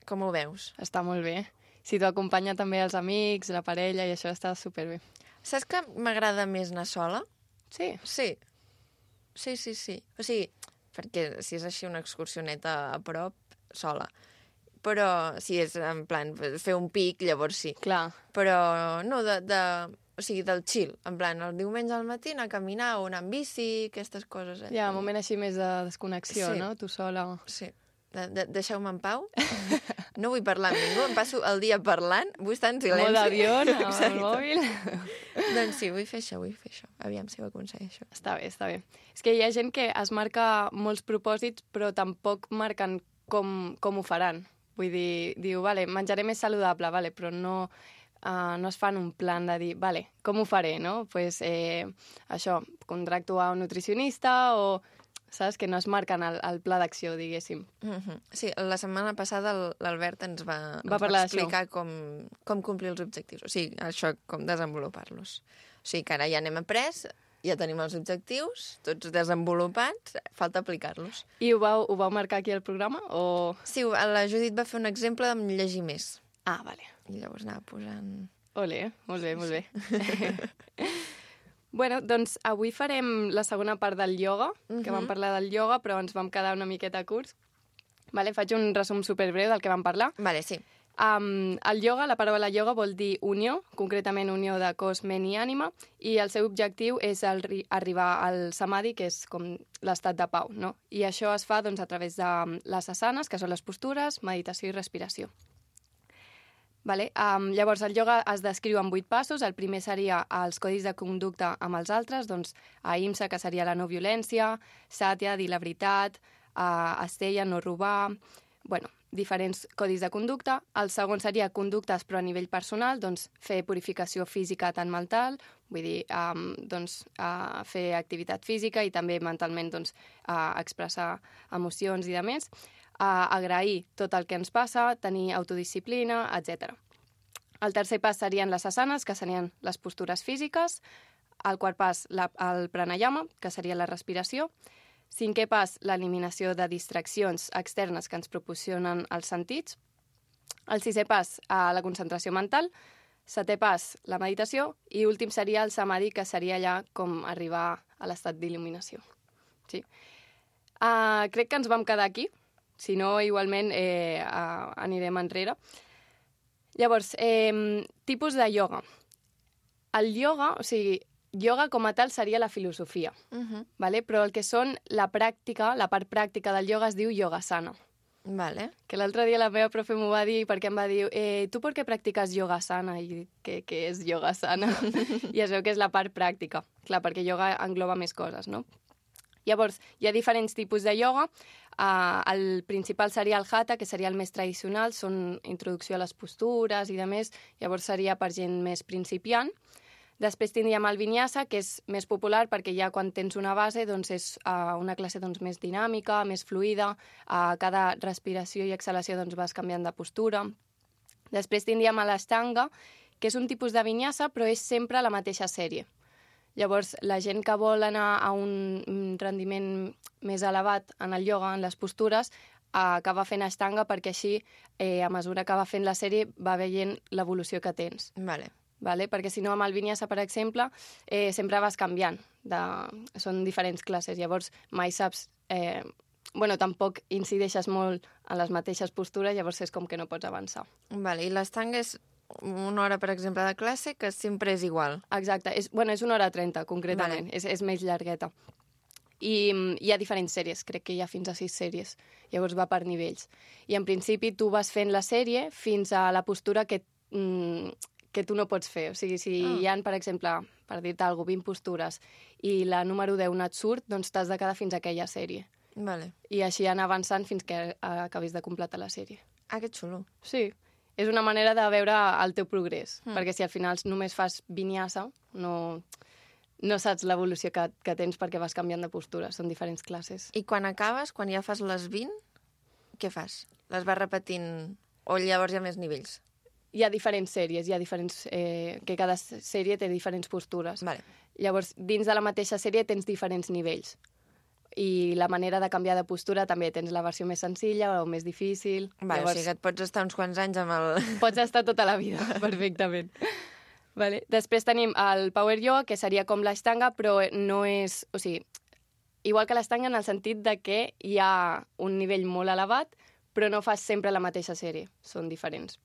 Com ho veus? Està molt bé. Si t'ho acompanya també els amics, la parella, i això està superbé. Saps que m'agrada més anar sola? Sí? Sí. Sí, sí, sí. O sigui, perquè si és així una excursioneta a prop, sola. Però si és en plan fer un pic, llavors sí. Clar. Però no, de, de, o sigui, del chill. En plan, el diumenge al matí anar a caminar o anar amb bici, aquestes coses. Eh? Hi ha un moment així més de desconnexió, Sí. no? Tu sola. Sí. De, de, deixeu-me en pau. No vull parlar amb ningú. Em passo el dia parlant. Vull estar en silenci. Molt d'avió, amb el Exacte. mòbil. Doncs sí, vull fer això, vull fer això. Aviam si ho aconsegueixo. Està bé, està bé. És que hi ha gent que es marca molts propòsits, però tampoc marquen com, com ho faran. Vull dir, diu, vale, menjaré més saludable, vale, però no, uh, no es fan un plan de dir, vale, com ho faré, no? Pues, eh, això, contracto a un nutricionista o... Saps? Que no es marquen el, el pla d'acció, diguéssim. Mm-hmm. Sí, la setmana passada l'Albert ens va, ens Va va parlar explicar com, com complir els objectius. O sigui, això, com desenvolupar-los. O sigui, que ara ja n'hem après, ja tenim els objectius, tots desenvolupats, falta aplicar-los. I ho vau, ho vau marcar aquí al programa? O... Sí, la Judit va fer un exemple de llegir més. Ah, vale. I llavors anava posant... Ole, molt bé, molt bé. Bueno, doncs avui farem la segona part del ioga, que vam parlar del ioga, però ens vam quedar una miqueta curts. Vale, faig un resum superbreu del que vam parlar. Vale, sí. Um, el ioga, la paraula ioga vol dir unió, concretament unió de cos, ment i ànima, i el seu objectiu és el, arribar al samadhi, que és com l'estat de pau, no? I això es fa doncs, a través de les asanes, que són les postures, meditació i respiració. Vale? Um, llavors, el ioga es descriu en vuit passos. El primer seria els codis de conducta amb els altres, doncs ahimsa, que seria la no violència, satya, dir la veritat, uh, asteya, no robar, bueno, diferents codis de conducta. El segon seria conductes, però a nivell personal, doncs fer purificació física tant mental, vull dir, um, doncs, uh, fer activitat física i també mentalment doncs, uh, expressar emocions i de més. Uh, agrair tot el que ens passa, tenir autodisciplina, etcètera. El tercer pas serien les asanes, que serien les postures físiques. El quart pas, la, el pranayama, que seria la respiració. Cinquè pas, l'eliminació de distraccions externes que ens proporcionen els sentits. El sisè pas, uh, la concentració mental. Setè pas, la meditació. I últim seria el samadhi, que seria allà com arribar a l'estat d'il·luminació. Sí. Uh, crec que ens vam quedar aquí. Si no, igualment eh, uh, anirem enrere. Llavors, eh, tipus de ioga. El ioga, o sigui, ioga com a tal seria la filosofia, Uh-huh. vale? Però el que són la pràctica, la part pràctica del ioga es diu yogasana. Vale. Que l'altre dia la meva profe m'ho va dir perquè em va dir eh, tu per què practiques yogasana? I dic, què, què és yogasana? I es veu que és la part pràctica. Clar, perquè ioga engloba més coses, no? Llavors, hi ha diferents tipus de ioga. Uh, el principal seria el hatha, que seria el més tradicional, són introducció a les postures i de més, llavors seria per gent més principiant. Després tindríem el vinyasa, que és més popular perquè ja quan tens una base doncs és uh, una classe doncs, més dinàmica, més fluida, uh, cada respiració i exhalació doncs, vas canviant de postura. Després tindríem l'ashtanga, que és un tipus de vinyasa, però és sempre la mateixa sèrie. Llavors, la gent que vol anar a un rendiment més elevat en el ioga, en les postures, acaba fent ashtanga perquè així, eh, a mesura que va fent la sèrie, va veient l'evolució que tens. Vale. Vale? Perquè si no, amb el vinyasa, per exemple, eh, sempre vas canviant. De... Són diferents classes, llavors mai saps... Eh... Bueno, tampoc incideixes molt en les mateixes postures, llavors és com que no pots avançar. Vale. I l'estanga és una hora, per exemple, de classe que sempre és igual. Exacte, és, bueno, és una hora trenta, concretament, Vale. és, és més llargueta. I mm, hi ha diferents sèries, crec que hi ha fins a sis sèries, llavors va per nivells. I en principi tu vas fent la sèrie fins a la postura que, mm, que tu no pots fer. O sigui, si Ah. hi ha, per exemple, per dir-te alguna cosa, vint postures i la número deu no et surt, doncs t'has de quedar fins a aquella sèrie. Vale. I així anar avançant fins que eh, acabis de completar la sèrie. Ah, que xulo. Sí, és una manera de veure el teu progrés, Mm. mm. perquè si al final només fas vinyassa, no, no saps l'evolució que, que tens perquè vas canviant de postura, són diferents classes. I quan acabes, quan ja fas les vint, què fas? Les vas repetint o llavors hi ha més nivells? Hi ha diferents sèries, hi ha diferents, eh, que cada sèrie té diferents postures. Vale. Llavors, dins de la mateixa sèrie tens diferents nivells. I la manera de canviar de postura també tens la versió més senzilla o més difícil. Vale, Llavors, o sigui que et pots estar uns quants anys amb el... pots estar tota la vida, perfectament. Vale. Després tenim el Power Yoga, que seria com l'estanga, però no és... O sigui, igual que l'estanga en el sentit de que hi ha un nivell molt elevat, però no fas sempre la mateixa sèrie, són diferents.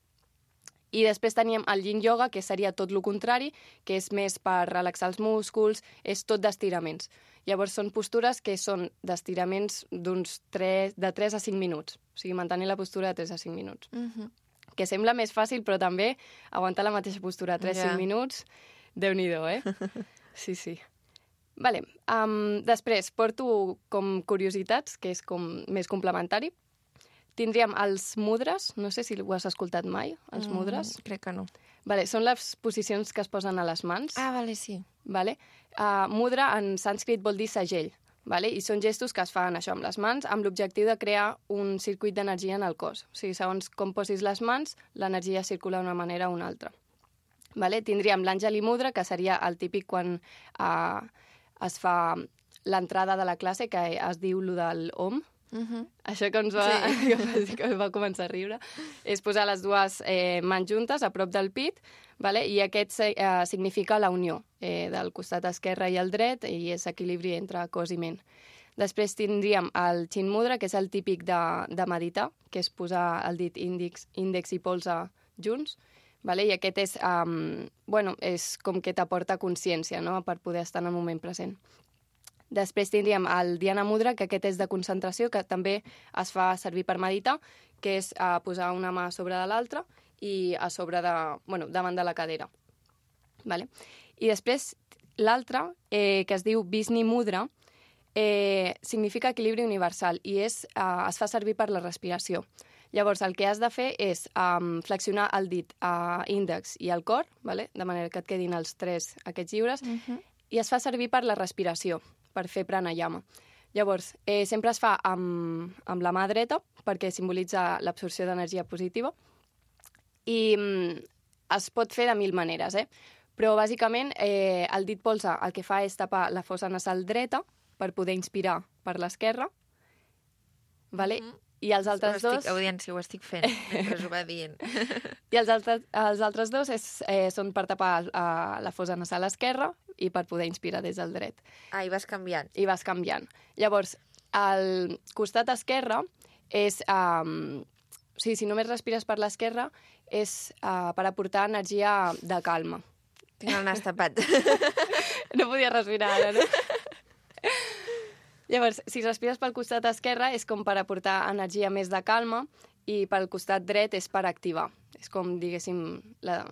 I després teníem el Yin Yoga, que seria tot el contrari, que és més per relaxar els músculs, és tot d'estiraments. Llavors són postures que són d'estiraments d'uns tres, de tres a cinc minuts. O sigui, mantenir la postura de tres a cinc minuts. Uh -huh. Que sembla més fàcil, però també aguantar la mateixa postura tres a cinc Ja. minuts, Déu-n'hi-do, eh? Sí, sí. Vale. Um, després, porto com curiositats, que és com més complementari. Tindríem els mudres, no sé si ho has escoltat mai, els mudres. Mm, crec que no. Vale, són les posicions que es posen a les mans. Ah, vale, sí. Vale? Uh, mudra en sànscrit vol dir segell, vale? I són gestos que es fan això amb les mans amb l'objectiu de crear un circuit d'energia en el cos. O sigui, segons com posis les mans, l'energia circula d'una manera o una altra. Vale? Tindríem l'Àngeli Mudra, que seria el típic quan uh, es fa l'entrada de la classe, que es diu lo del Om. Uh -huh. Això que ens va, Sí. sí. que va començar a riure, és posar les dues eh, mans juntes a prop del pit, vale? I aquest eh, significa la unió eh, del costat esquerre i el dret, i és equilibri entre cos i ment. Després tindríem el Chin Mudra, que és el típic de, de meditar, que és posar el dit índex, índex i polze junts, vale? I aquest és, um, bueno, és com que t'aporta consciència, no?, per poder estar en el moment present. Després tindríem el Dhyana Mudra, que aquest és de concentració, que també es fa servir per meditar, que és uh, posar una mà a sobre de l'altra i a sobre de, bueno, davant de la cadera. Vale? I després l'altre, eh, que es diu Visni Mudra, eh, significa equilibri universal i és, uh, es fa servir per la respiració. Llavors, el que has de fer és um, flexionar el dit uh, índex i el cor, vale? De manera que et quedin els tres aquests lliures, Uh -huh. i es fa servir per la respiració, per fer pranayama. Llavors, eh, sempre es fa amb, amb la mà dreta, perquè simbolitza l'absorció d'energia positiva, i mm, es pot fer de mil maneres, eh? Però, bàsicament, eh, el dit polze el que fa és tapar la fossa nasal dreta per poder inspirar per l'esquerra, vale? Uh -huh. I els altres ho estic, dos... Audiència, ho estic fent, mentre ho va dient. I els altres, els altres dos és, eh, són per tapar eh, la fossa nasal esquerra i per poder inspirar des del dret. Ah, i vas canviant. I vas canviant. Llavors, al costat esquerre és... Um, o sigui, si només respires per l'esquerra és uh, per aportar energia de calma. Tinc el nas tapat. No podia respirar ara, no? Llavors, si respires pel costat esquerre és com per aportar energia més de calma i pel costat dret és per activar. És com, diguéssim, la,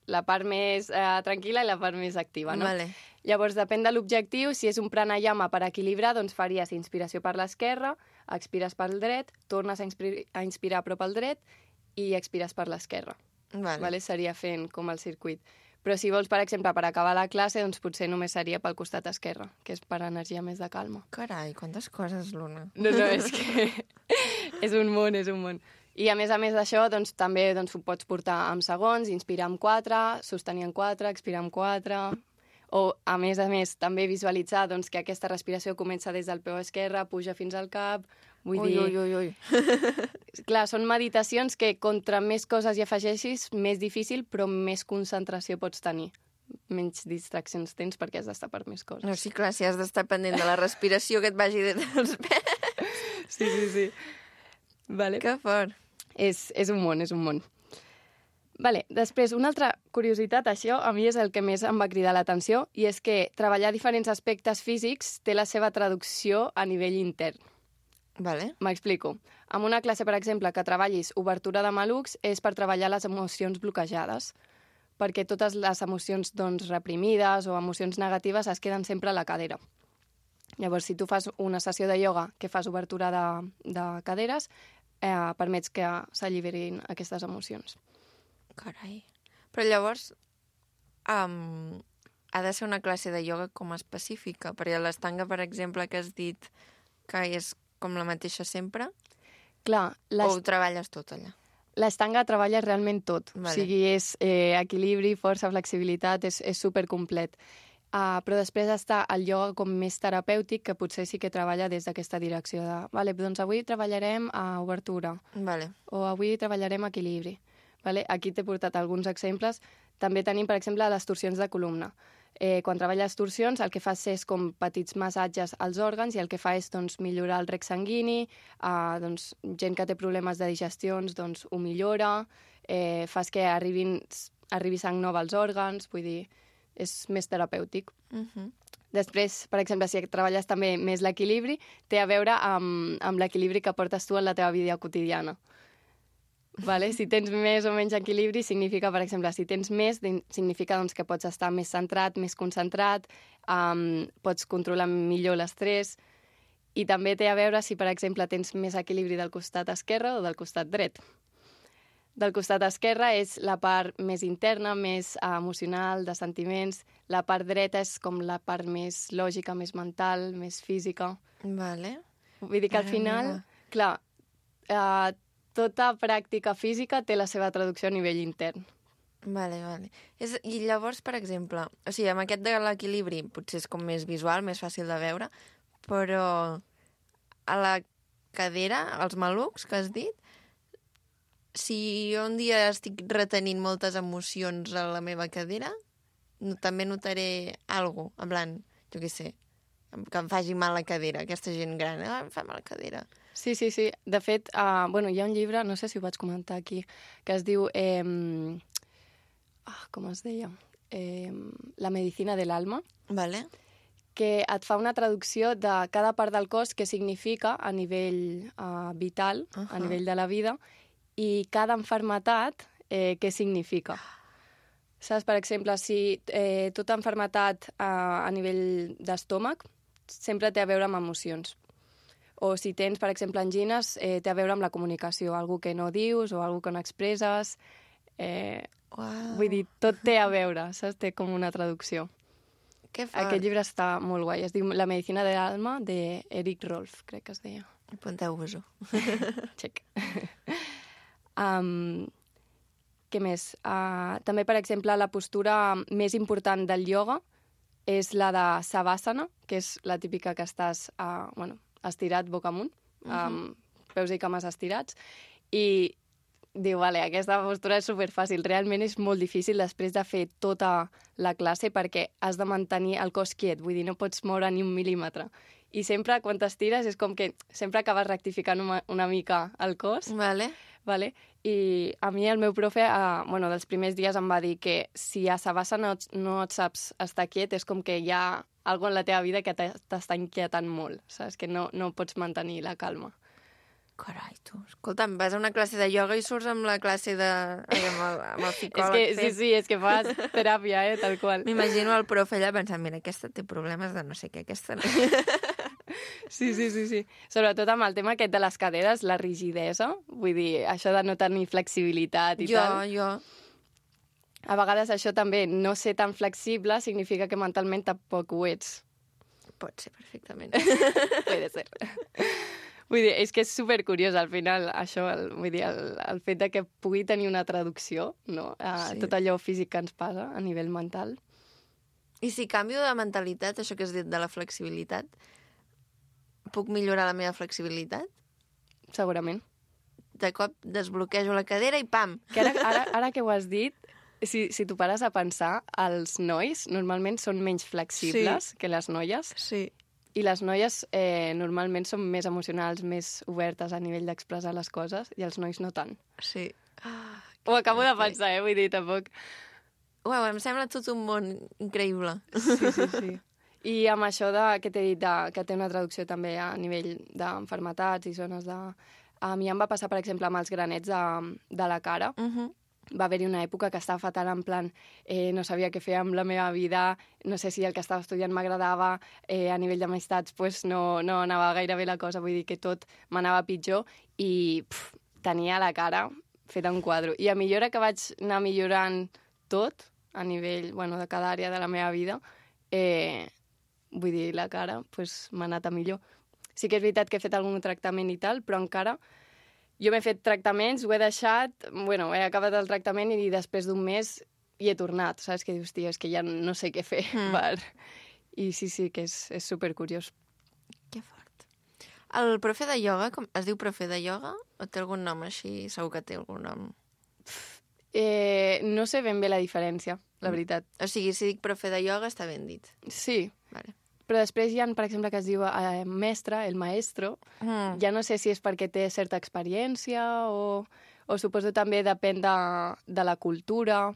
la part més eh, tranquil·la i la part més activa, no? Vale. Llavors, depèn de l'objectiu. Si és un pranayama per equilibrar, doncs faries inspiració per l'esquerra, expires pel dret, tornes a, inspir a inspirar a prop al dret i expires per l'esquerra. Vale. Vale? Seria fent com el circuit. Però si vols, per exemple, per acabar la classe, doncs potser només seria pel costat esquerre, que és per energia més de calma. Carai, quantes coses, Luna. No, no, és que és un món, és un món. I a més a més d'això, doncs, també doncs, ho pots portar amb segons, inspirar amb quatre, sostenir amb quatre, expirar amb quatre... O, a més a més, també visualitzar doncs, que aquesta respiració comença des del peu esquerre, puja fins al cap... Vull Ui, dir, ui, ui, ui. clar, són meditacions que contra més coses hi afegeixis, més difícil, però més concentració pots tenir. Menys distraccions tens perquè has d'estar per més coses. No, sí, clar, si has d'estar pendent de la respiració que et vagi dels pes. Sí, sí, sí. Vale. Que fort. És, és un món, és un món. Vale, després, una altra curiositat, això a mi és el que més em va cridar l'atenció, i és que treballar diferents aspectes físics té la seva traducció a nivell intern. Vale. M'explico. En una classe, per exemple, que treballis obertura de malucs és per treballar les emocions bloquejades, perquè totes les emocions doncs, reprimides o emocions negatives es queden sempre a la cadera. Llavors, si tu fas una sessió de ioga que fas obertura de, de caderes, eh, permets que s'alliberin aquestes emocions. Carai. Però llavors, um, ha de ser una classe de ioga com específica, perquè l'estanga, per exemple, que has dit que és com la mateixa sempre, Clar, o ho treballes tot allà? l'estanga treballa realment tot. Vale. O sigui, és eh, equilibri, força, flexibilitat, és, és supercomplet. Uh, però després està el ioga com més terapèutic, que potser sí que treballa des d'aquesta direcció de vale, doncs avui treballarem a obertura, Vale. o avui treballarem equilibri. Vale? Aquí t'he portat alguns exemples. També tenim, per exemple, les torsions de columna. Eh, quan treballes torsions, el que fas és com petits massatges als òrgans i el que fa és doncs, millorar el rec sanguini, eh, doncs, gent que té problemes de digestions doncs, ho millora, eh, fas que arribin, arribi sang nova als òrgans, vull dir, és més terapèutic. Uh -huh. Després, per exemple, si treballes també més l'equilibri, té a veure amb, amb l'equilibri que portes tu en la teva vida quotidiana. Vale? Si tens més o menys equilibri, significa, per exemple, si tens més, significa doncs, que pots estar més centrat, més concentrat, um, pots controlar millor l'estrès, i també té a veure si, per exemple, tens més equilibri del costat esquerre o del costat dret. Del costat esquerre és la part més interna, més uh, emocional, de sentiments. La part dreta és com la part més lògica, més mental, més física. Vale. Vull dir que al Mare final, meva. clar, uh, tota pràctica física té la seva traducció a nivell intern. Vale, vale. És, I llavors, per exemple, o sigui, amb aquest de l'equilibri potser és com més visual, més fàcil de veure, però a la cadera, als malucs que has dit, si jo un dia estic retenint moltes emocions a la meva cadera, no, també notaré alguna cosa, en plan, jo què sé, que em faci mal la cadera, aquesta gent gran, ah, em fa mal la cadera. Sí, sí, sí. De fet, uh, bueno, hi ha un llibre, no sé si ho vaig comentar aquí, que es diu... Eh, ah, com es deia? Eh, La medicina de l'alma, Vale. que et fa una traducció de cada part del cos que significa a nivell uh, vital, uh -huh. a nivell de la vida, i cada enfermetat eh, què significa. Saps? Per exemple, si eh, tota enfermetat uh, a nivell d'estómac sempre té a veure amb emocions. O si tens, per exemple, angines, eh, té a veure amb la comunicació, algú que no dius o algú que no expresses. Eh, Uau. vull dir, tot té a veure, saps? Té com una traducció. Que fort. Aquest llibre està molt guai. Es diu La medicina de l'alma, d'Eric Rolf, crec que es deia. Apunteu-vos-ho. Check. um, què més? Uh, també, per exemple, la postura més important del ioga és la de Savasana, que és la típica que estàs uh, bueno, estirat boca amunt, uh -huh. amb peus i cames estirats, i diu, vale, aquesta postura és superfàcil. Realment és molt difícil després de fer tota la classe perquè has de mantenir el cos quiet, vull dir, no pots moure ni un mil·límetre. I sempre, quan t'estires, és com que sempre acabes rectificant una, una mica el cos. Vale. Vale? I a mi el meu profe, eh, bueno, dels primers dies em va dir que si a Savasana no, et- no et saps estar quiet és com que hi ha alguna en la teva vida que t'e- t'està inquietant molt, saps? Que no, no pots mantenir la calma. Carai, tu. Escolta'm, vas a una classe de ioga i surts amb la classe de... Ai, amb el, amb el És psicòleg. que, sí, fent. sí, és que fas teràpia, eh, tal qual. M'imagino el profe allà pensant, mira, aquesta té problemes de no sé què, aquesta no. Sí, sí, sí, sí. Sobretot amb el tema aquest de les caderes, la rigidesa, vull dir, això de no tenir flexibilitat i jo, tal. jo. A vegades això també, no ser tan flexible, significa que mentalment tampoc ho ets. Pot ser perfectament. Puede ser. Vull dir, és que és supercuriós al final, això, el, vull dir, el, el fet de que pugui tenir una traducció, no?, a Sí. tot allò físic que ens passa a nivell mental. I si canvio de mentalitat, això que has dit de la flexibilitat, puc millorar la meva flexibilitat? Segurament. De cop desbloquejo la cadera i pam! Que ara, ara, ara que ho has dit, si, si tu pares a pensar, els nois normalment són menys flexibles Sí. que les noies, Sí. i les noies eh, normalment són més emocionals, més obertes a nivell d'expressar les coses, i els nois no tant. Sí. O ho acabo de pensar, eh? Vull dir, tampoc... Uau, em sembla tot un món increïble. Sí, sí, sí. I amb això de, que t'he dit, de, que té una traducció també a nivell d'enfermetats i zones de... A mi em va passar, per exemple, amb els granets de, de la cara. Uh -huh. Va haver-hi una època que estava fatal, en plan, eh, no sabia què fer amb la meva vida, no sé si el que estava estudiant m'agradava, eh, a nivell d'amistats pues, no, no anava gaire bé la cosa, vull dir que tot m'anava pitjor i pf, tenia la cara feta un quadre. I a millora que vaig anar millorant tot, a nivell bueno, de cada àrea de la meva vida, eh, vull dir, la cara pues, m'ha anat a millor. Sí que és veritat que he fet algun tractament i tal, però encara... Jo m'he fet tractaments, ho he deixat, bueno, he acabat el tractament i després d'un mes hi he tornat, saps? Que dius, tia, és que ja no sé què fer. Mm. Per... I sí, sí, que és, és supercuriós. Que fort. El profe de ioga, com, es diu profe de ioga? O té algun nom així? Segur que té algun nom. Eh, no sé ben bé la diferència, la veritat. O sigui, si dic profe de ioga, està ben dit. Sí. Vale. Però després hi ha, per exemple, que es diu eh, mestre, el maestro. Mm. Ja no sé si és perquè té certa experiència o, o suposo també depèn de, de la cultura.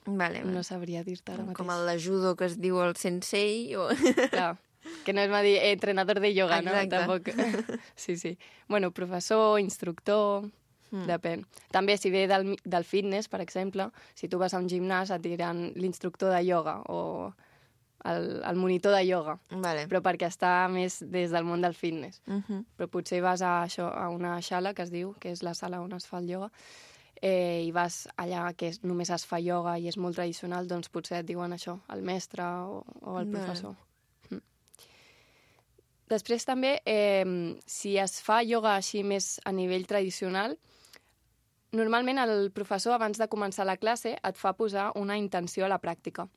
Vale, vale. No sabria dir-te ara mateix. Com el de judo que es diu el sensei o... Clar, que no és dir eh, entrenador de yoga, exacte. No? Tampoc. Sí, sí. Bueno, professor, instructor... Mm. Depèn. També si ve del, del fitness, per exemple, si tu vas a un gimnàs et diran l'instructor de ioga o... El, el monitor de ioga, vale. Però perquè està més des del món del fitness. Uh -huh. Però potser vas a, això, a una sala, que es diu, que és la sala on es fa el ioga, eh, i vas allà que és, només es fa ioga i és molt tradicional, doncs potser et diuen això, el mestre o, o el vale. professor. Mm. Després també, eh, si es fa ioga així més a nivell tradicional, normalment el professor, abans de començar la classe, et fa posar una intenció a la pràctica.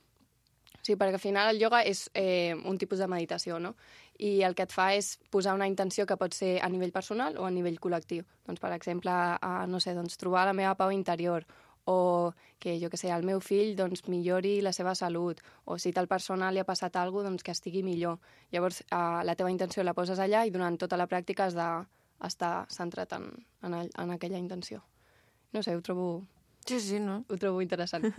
Sí, perquè al final el ioga és eh, un tipus de meditació, no? I el que et fa és posar una intenció que pot ser a nivell personal o a nivell col·lectiu. Doncs, per exemple, a, no sé, doncs, trobar la meva pau interior o que, jo que sé, el meu fill doncs, millori la seva salut o si tal persona li ha passat alguna cosa, doncs que estigui millor. Llavors, eh, la teva intenció la poses allà i durant tota la pràctica has d'estar centrat en, en, el, en aquella intenció. No sé, ho trobo... Sí, sí, no? Ho trobo interessant.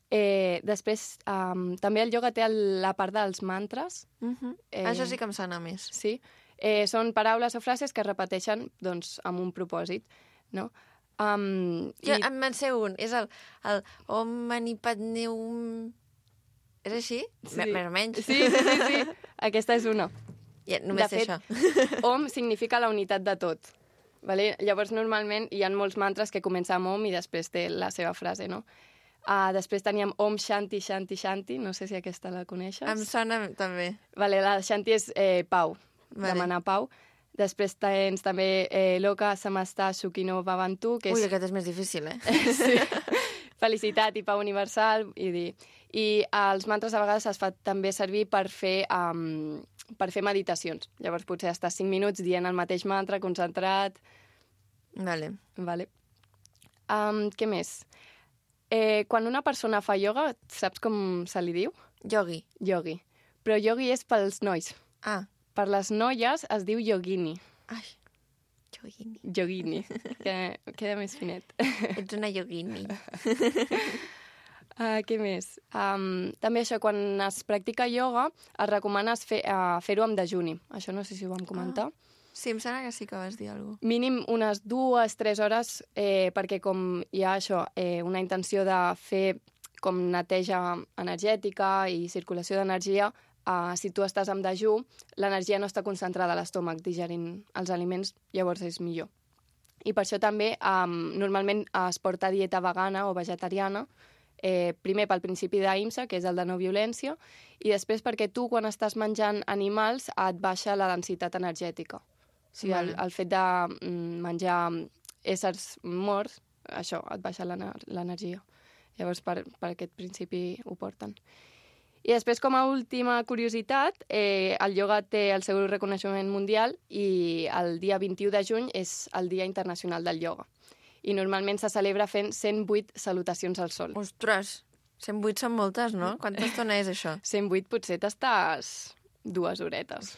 Eh, després, um, també el ioga té el, la part dels mantres. Uh -huh. eh, Això sí que em sona més. Sí. Eh, són paraules o frases que es repeteixen doncs, amb un propòsit, no? Um, jo i... em en sé un. És el, el Om Mani Padme Hum... És així? Sí. Més o menys. Sí, sí, sí, sí. Aquesta és una. Ja, només de sé fet, això. Om significa la unitat de tot. Vale? Llavors, normalment, hi ha molts mantres que comencen amb Om i després té la seva frase, no? Uh, després teníem Om Shanti Shanti Shanti, no sé si aquesta la coneixes. Em sona també. Vale, la Shanti és eh, pau, vale. Demanar pau. Després tens també eh, Loka Samasta Sukhino Bhavantu, que és... Ui, aquest és més difícil, eh? Sí. Felicitat i pau universal. I, dir... I els mantres a vegades es fa també servir per fer, um, per fer meditacions. Llavors potser estàs cinc minuts dient el mateix mantra, concentrat... Vale. Vale. Um, què més? Eh, quan una persona fa ioga, saps com se li diu? Yogi. Yogi. Però yogi és pels nois. Ah. Per les noies es diu yogini. Ai, yogini. Yogini, que queda més finet. Ets una yogini. uh, què més? Um, també això, quan es practica ioga, es recomana fer, uh, fer-ho amb dejuni. Això no sé si ho vam comentar. Ah. Sí, em sembla que sí que vas dir alguna cosa. Mínim unes dues, tres hores, eh, perquè com hi ha això, eh, una intenció de fer com neteja energètica i circulació d'energia, eh, si tu estàs en dejú, l'energia no està concentrada a l'estómac digerint els aliments, llavors és millor. I per això també eh, normalment es porta dieta vegana o vegetariana, eh, primer pel principi d'Ahimsa, que és el de no violència, i després perquè tu, quan estàs menjant animals, et baixa la densitat energètica. O sigui, el, el fet de menjar éssers morts, això, et baixa l'energia. Llavors, per, per aquest principi ho porten. I després, com a última curiositat, eh, el ioga té el seu reconeixement mundial i el dia vint-i-u de juny és el Dia Internacional del Ioga. I normalment se celebra fent cent vuit salutacions al sol. Ostres, cent vuit són moltes, no? Quanta estona és això? cent vuit potser t'estàs dues horetes.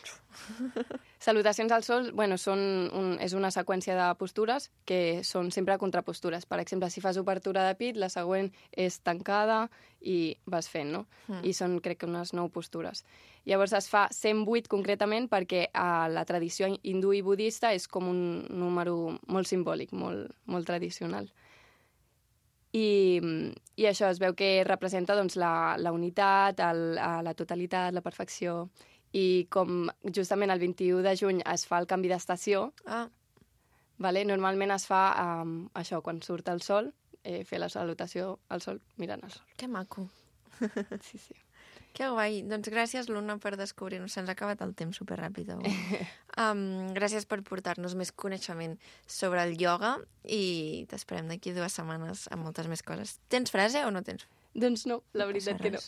Salutacions al sol, bueno, són un, és una seqüència de postures que són sempre contrapostures. Per exemple, si fas obertura de pit, la següent és tancada i vas fent, no? Mm. I són, crec que, unes nou postures. Llavors es fa cent vuit concretament perquè a la tradició hindú i budista és com un número molt simbòlic, molt, molt tradicional. I, I això es veu que representa doncs, la, la unitat, el, la totalitat, la perfecció. I com justament el vint-i-u de juny es fa el canvi d'estació, Ah, vale? Normalment es fa um, això, quan surt el sol, eh, fer la salutació al sol mirant el sol. que maco. Sí, sí. Que guai. Doncs gràcies, Luna, per descobrir-nos. Se'ns ha acabat el temps superràpid avui. um, gràcies per portar-nos més coneixement sobre el ioga i t'esperem d'aquí dues setmanes amb moltes més coses. Tens frase o no tens? Doncs no, la veritat que no.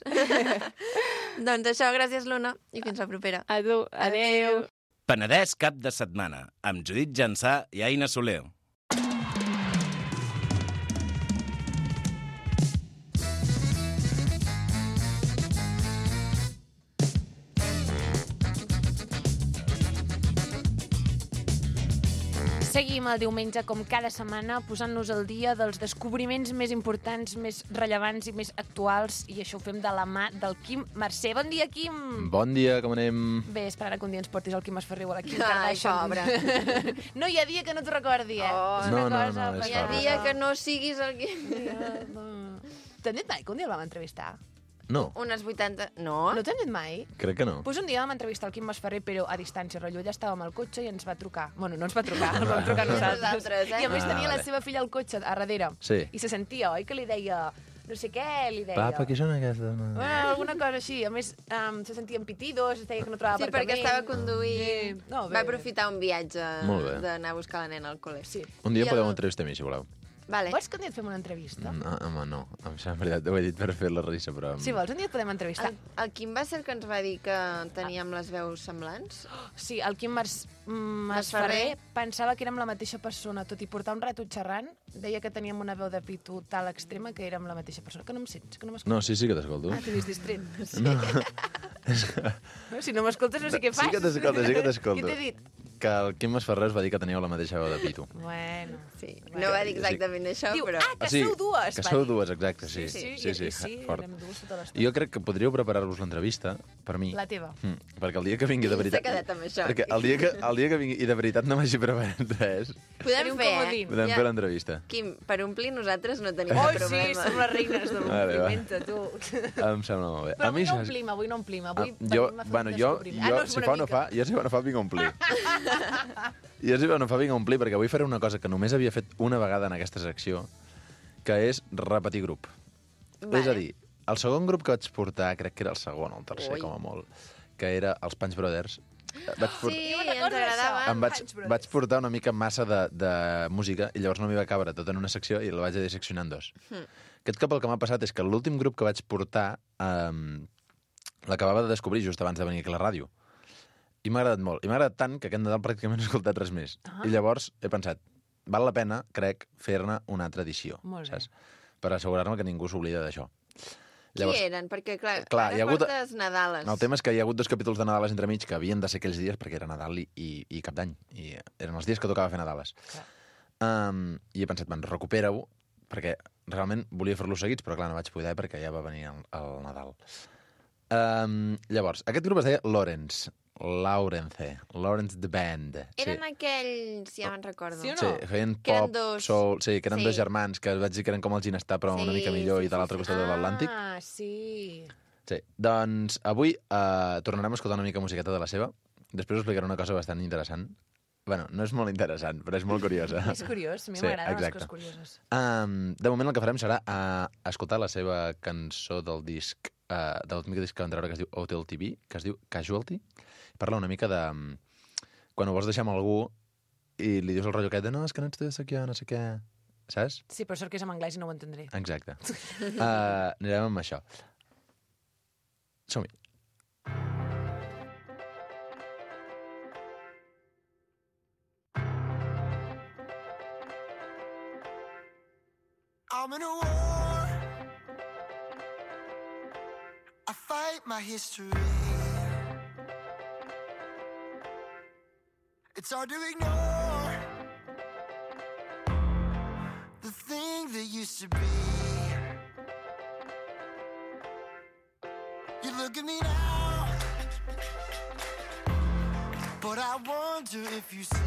Doncs això, gràcies, Luna, i fins la propera. A tu, adeu. Penedès cap de setmana, amb Judit Jansà i Aina Soler. Seguim el diumenge, com cada setmana, posant-nos al dia dels descobriments més importants, més rellevants i més actuals, i això ho fem de la mà del Quim Mercè. Bon dia, Quim! Bon dia, com anem? Bé, esperant que un dia ens portis el Quim Esferrer o la Quim Ai, Kardashian. pobre. No hi ha dia que no t'ho recordi, eh? Oh, És una no, no, cosa no, és Hi ha fort. dia que no siguis el que... T'han dit mai que un dia el vam entrevistar? No, Unes vuitanta... No? No t'han dit mai? crec que no. Pues un dia vam entrevistar el Quim Masferrer, però a distància, rotllo, ella estava amb el cotxe i ens va trucar. Bueno, no ens va trucar, ens vam trucar nosaltres. Nosaltres, eh? I a més Ah, tenia la vale. seva filla al cotxe a darrere. Sí. I se sentia, oi, que li deia... No sé què, li deia. Papa, què són aquestes? Bueno, alguna cosa així. A més, um, se sentien pitidos, es deia que no trobava Sí, perquè aparcament. estava conduint... Sí. No, bé. Va aprofitar un viatge Molt bé. d'anar a buscar la nena al col·le. Sí. Un dia I podeu el- entrevistar a mi, si voleu. Vale. Vols que un dia et fem una entrevista? No, home, no. Em sembla veritat, ho he dit per fer la risa, però... Si vols, un dia et podem entrevistar. El, el Quim va ser el que ens va dir que teníem les veus semblants? Sí, el Quim Mas, mm, Masferrer. Masferrer pensava que érem la mateixa persona, tot i portar un rato xerrant, deia que teníem una veu de pito tal extrema que érem la mateixa persona. Que no em sents, que no m'escoltes. No, sí, sí que t'escolto. Ah, t'he vist distret. Sí. No. No, si no m'escoltes no sé què fas. Sí que t'escolto, sí que t'escolto. Què t'he dit? Que el Quim Masferrer es va dir que teníeu la mateixa veu de pito. Bueno. Sí. No va dir exactament això, Diu, però... ah, que Ah, sí, sou dues. Que va sou dir. dues, exacte, sí. Sí, sí, sí, i, sí, fort. érem dues tota l'estona. Jo crec que podríeu preparar-vos l'entrevista, per mi. La teva. Mm, perquè el dia que vingui de S'ha veritat... quedat amb això. Perquè el dia que, el dia que vingui i de veritat no m'hagi preparat res, Podem un fer, comodín. eh? podem fer l'entrevista. Quim, per omplir nosaltres no tenim Oh, cap sí, problema. som les reines de Vale, va. l'ompliment, tu. Em sembla molt bé. Però a mi, avui no saps- omplim, avui no omplim. Avui Ah, jo, venim a fer bueno, un jo, descobriment. jo Ah, no, és si una fa o no mica. fa, jo si fa o no fa vinc a omplir. Jo si fa o no fa vinc a omplir, perquè avui faré una cosa que només havia fet una vegada en aquesta secció, que és repetir grup. Vale. És a dir, el segon grup que vaig portar, crec que era el segon o el tercer, Ui. com a molt, que era els Punch Brothers. Vaig por- Sí, Jo me'n ens recordo d'això. agradaven. em vaig, Punch Brothers. vaig portar una mica massa de, de música i llavors no m'hi va cabre tot en una secció i la vaig disseccionar en dos. Hmm. Aquest cop el que m'ha passat és que l'últim grup que vaig portar um, l'acabava de descobrir just abans de venir aquí a la ràdio. I m'ha agradat molt. I m'ha agradat tant que aquest Nadal pràcticament no he escoltat res més. Ah. I llavors he pensat, val la pena, crec, fer-ne una altra edició. Molt bé. Saps? Per assegurar-me que ningú s'oblida d'això. Qui eren? Perquè, clar, Clar, ara hi ha hagut- portes Nadales. El tema és que hi ha hagut dos capítols de Nadales entremig que havien de ser aquells dies perquè era Nadal i, i, i Cap d'Any. I eren els dies que tocava fer Nadales. Um, I he pensat, man, recupera-ho, perquè realment volia fer-los seguits, però clar, no vaig poder perquè ja va venir el, el Nadal. Um, llavors, aquest grup es deia Lawrence. Lawrence. Lawrence the Band. Eren aquells, ja me'n recordo. Sí o no? Sí, feien Que eren pop, dos. soul... Sí, que eren Sí. dos germans, que vaig dir que eren com el Ginestar, però una Sí, mica millor sí, i de sí, l'altre sí. costat de l'Atlàntic. Ah, sí. Sí, doncs avui uh, tornarem a escoltar una mica musiqueta de la seva. Després us explicaré una cosa bastant interessant. Bueno, no és molt interessant, però és molt curiosa. És curiós, a mi Sí, m'agraden les exacte. coses curioses. Um, de moment el que farem serà uh, escoltar la seva cançó del disc, uh, de l'últim disc que van treure, que es diu Hotel T V, que es diu Casualty. Parla una mica de... um, quan ho vols deixar amb algú i li dius el rotllo aquest de no, és que no ets de aquí, no sé què... Saps? Sí, però sort que és en anglès i no ho entendré. Exacte. Uh, anirem amb això. Som-hi. I'm in a war. I fight my history. It's hard to ignore the thing that used to be. You look at me now, but I wonder if you see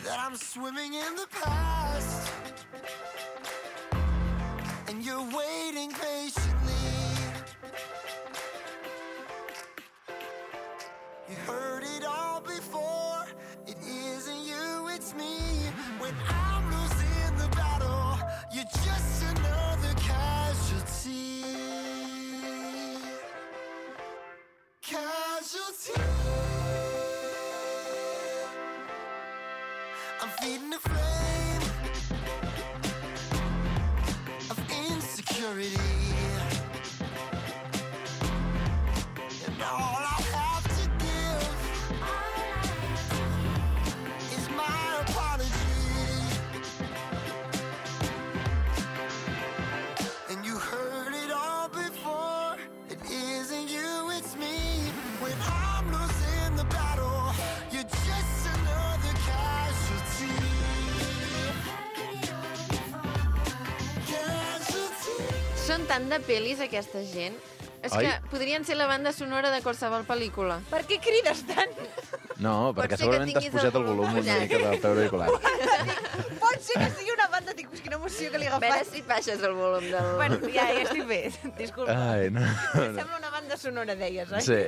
that I'm swimming in the past, and you're waiting patiently. You heard it all before. It isn't you, it's me. When I'm losing the battle, you're just another casualty. Casualty. I'm feeding the flame of insecurity, and all I have to give is my apology. And you heard it all before. It isn't you, it's me. When I'm losing the battle, you're just another casualty. Casualty. Són tant de pel·lis, aquesta gent. És Oi? que podrien ser la banda sonora de qualsevol pel·lícula. Per què crides tant? No, Pot perquè ser que segurament t'has tinguis posat el el volum volum una mica del teu auricular. Pot ser que sigui una banda, dic, quina emoció que li he A veure agafat. si et baixes el volum del... Bueno, ja, ja estic bé. Disculpa. Ai, no. no. Sembla una banda sonora, deies, oi? Sí,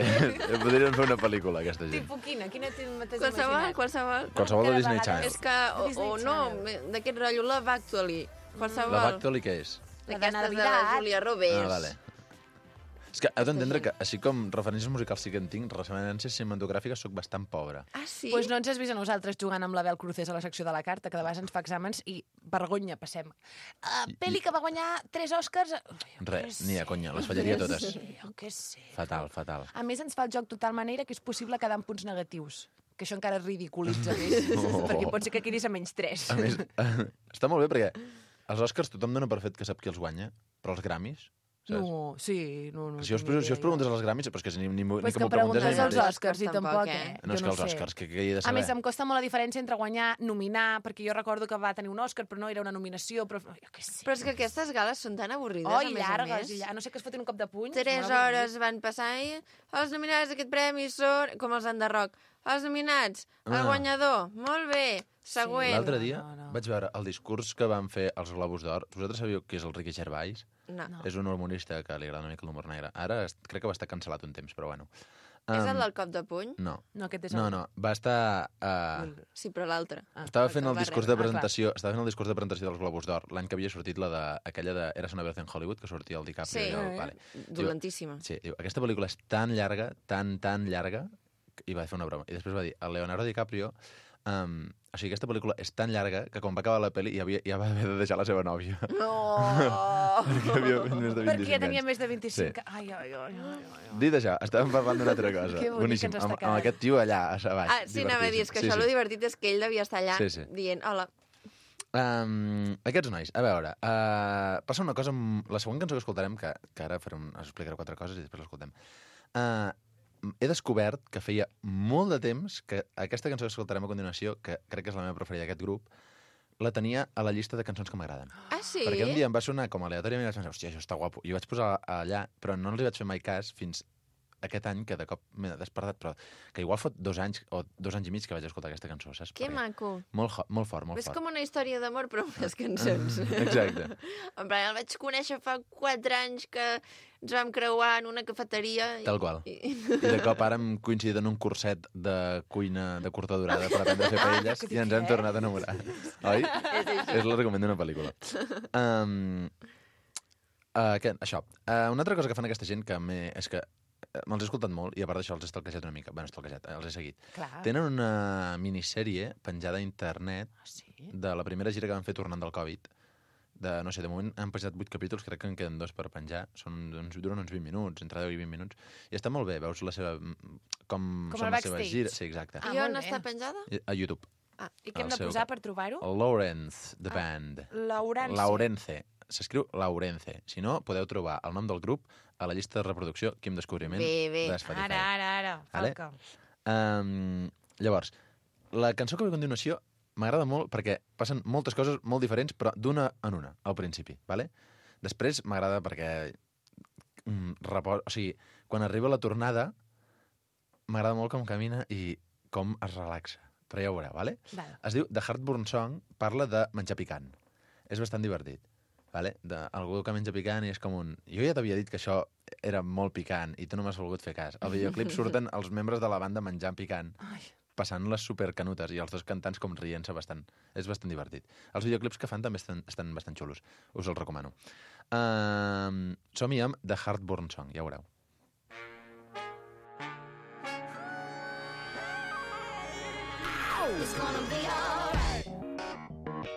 podrien fer una pel·lícula, aquesta gent. Tipus quina? Quina t'has Qualsevol, imaginat? qualsevol. Qualsevol de Cada Disney vegada Channel. És que, o, Disney o no, Channel. d'aquest rotllo Love Actually. Qualsevol. La Bactoli què és? La de D'aquestes de la Navidad. Julia Roberts. Ah, vale. És que heu d'entendre que, així com referències musicals sí que en tinc, referències cinematogràfiques sóc bastant pobre. Ah, sí? Doncs no ens has vist a nosaltres jugant amb la Bel Cruces a la secció de la carta, que de vegades ens fa exàmens i vergonya passem. Uh, pel·li que va guanyar tres Oscars... Res, ni a conya, les fallaria totes. Jo què sé. Fatal, fatal. A més, ens fa el joc total manera que és possible quedar amb punts negatius, que això encara ridiculitza més, Oh. perquè pot ser que quedis a menys tres. A més, està molt bé perquè els Oscars tothom dona per fet que sap qui els guanya, però els Grammys, saps? No, sí, no, no. Si us, si us preguntes als Grammys, però és que ni, ni, Pues ni que que m'ho preguntes a mi preguntes als mateix. Oscars i Tampoc, tampoc, eh? eh? No, és Jo que els sé. Oscars, que, que he de A saber? més, em costa molt la diferència entre guanyar, nominar, perquè jo recordo que va tenir un Òscar, però no era una nominació, però... Jo què sé. Però és que aquestes gales són tan avorrides, Oh, a i més llargues, a més. i llargues. No sé que es fotin un cop de puny. Tres molt avorrit. hores van passar i els nominats d'aquest premi són... Com els Enderroc. Els nominats, el Ah. guanyador, molt bé, següent. L'altre dia No, no. vaig veure el discurs que van fer els Globus d'Or. Vosaltres sabíeu qui és el Ricky Gervais? No. No. És un humorista que li agrada una mica l'humor negre. Ara es- crec que va estar cancel·lat un temps, però bueno. És el Um, del cop de puny? No, No, aquest és no, el... no. Va estar... Uh, Sí, però l'altre. Ah, estava fent el el barret. discurs de Ah, clar. presentació, estava fent el discurs de presentació dels Globus d'Or l'any que havia sortit la de, aquella de Eras una vez en Hollywood, que sortia el DiCaprio. Sí. i el, vale. Dolentíssima. Sí, diu, aquesta pel·lícula és tan llarga, tan, tan llarga, i va fer una broma. I després va dir, el Leonardo DiCaprio, um, o sigui, aquesta pel·lícula és tan llarga que quan va acabar la pel·li ja, havia, ja va haver de deixar la seva nòvia. No! Perquè havia fet més de vint-i-cinc Perquè ja tenia anys. més de vint-i-cinc. Sí. Ai, ai, ai, ai, ai. Dit això, estàvem parlant d'una altra cosa. Que bonic Boníssim, ens està amb, amb quedant. aquest tio allà, a baix. Ah, sí, anava a dir, és que divertíssim. això, lo divertit és que ell devia estar allà Sí, sí. dient, hola, Um, aquests nois, a veure, uh, passa una cosa amb la següent cançó que escoltarem, que, que ara faré un, us explicaré quatre coses i després l'escoltem. Uh, he descobert que feia molt de temps que aquesta cançó que escoltarem a continuació, que crec que és la meva preferida d'aquest grup, la tenia a la llista de cançons que m'agraden. ah, sí? Perquè un dia em va sonar com aleatòriament i vaig pensar, hòstia, això està guapo. I ho vaig posar allà, però no els hi vaig fer mai cas fins aquest any, que de cop m'he despertat, però que igual fot dos anys o dos anys i mig que vaig escoltar aquesta cançó, saps? Que Perquè maco. Molt, ho- molt fort, molt És fort. com una història d'amor, però amb les cançons. Exacte. En plan, el vaig conèixer fa quatre anys que ens vam creuar en una cafeteria. I... Tal qual. I... I de cop ara hem coincidit en un curset de cuina de curta durada per aprendre a fer paelles i ens hem tornat a enamorar. Oi? És l'argument d'una pel·lícula. Um, uh, què, això. Uh, una altra cosa que fan aquesta gent que m'he- és que eh, me'ls he escoltat molt i a part d'això els he stalkejat una mica. Bueno, stalkejat, eh, els he seguit. Clar. Tenen una minissèrie penjada a internet Ah, sí? de la primera gira que van fer tornant del Covid. De, no sé, de moment han penjat vuit capítols, crec que en queden dos per penjar. Són, uns, duren uns vint minuts, entre deu i vint minuts. I està molt bé, veus la seva... com, Com són el les seves backstage. gires. Sí, exacte. Ah, I on molt bé. està penjada? I- A YouTube. Ah, I què hem el de seu posar cap. per trobar-ho? Lawrence, the band. Laurence. Laurence. S'escriu Laurence. Si no, podeu trobar el nom del grup a la llista de reproducció Quim Descobriment Bé, bé. de Spotify. Ara, ara, ara. Vale? Falca. Um, llavors, la cançó que ve a continuació m'agrada molt perquè passen moltes coses molt diferents, però d'una en una, al principi, ¿vale? Després m'agrada perquè... Mm, repos... O sigui, quan arriba la tornada, m'agrada molt com camina i com es relaxa. Però ja ho veureu, ¿vale? Val. Es diu The Heartburn Song, parla de menjar picant. És bastant divertit, ¿vale? De algú que menja picant i és com un... Jo ja t'havia dit que això era molt picant i tu no m'has volgut fer cas. Al videoclip surten els membres de la banda menjant picant, Ai. passant les supercanutes i els dos cantants com rient-se bastant. És bastant divertit. Els videoclips que fan també estan, estan bastant xulos. Us els recomano. Uh, som-hi amb The Heartburn Song, ja ho veureu. It's gonna be alright.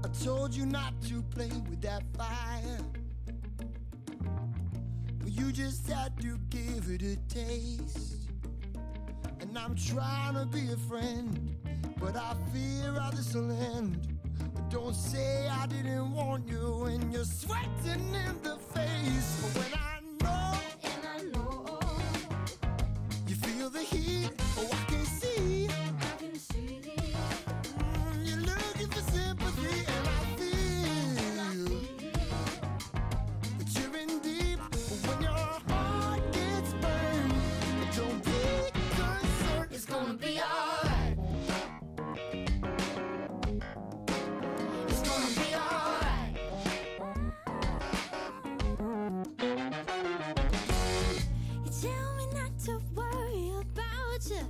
I told you not to play with that fire. But you just had to give it a taste. And I'm trying to be a friend, but I fear how this will end. But don't say I didn't warn you when you're sweating in the face. But when I know, And I know you feel the heat, oh I can see. I can see Mm, you're looking for sympathy, and I feel that you're in deep. But when your heart gets burned, don't be concerned. it's gonna be alright. It's gonna be alright. You tell me not to worry about you.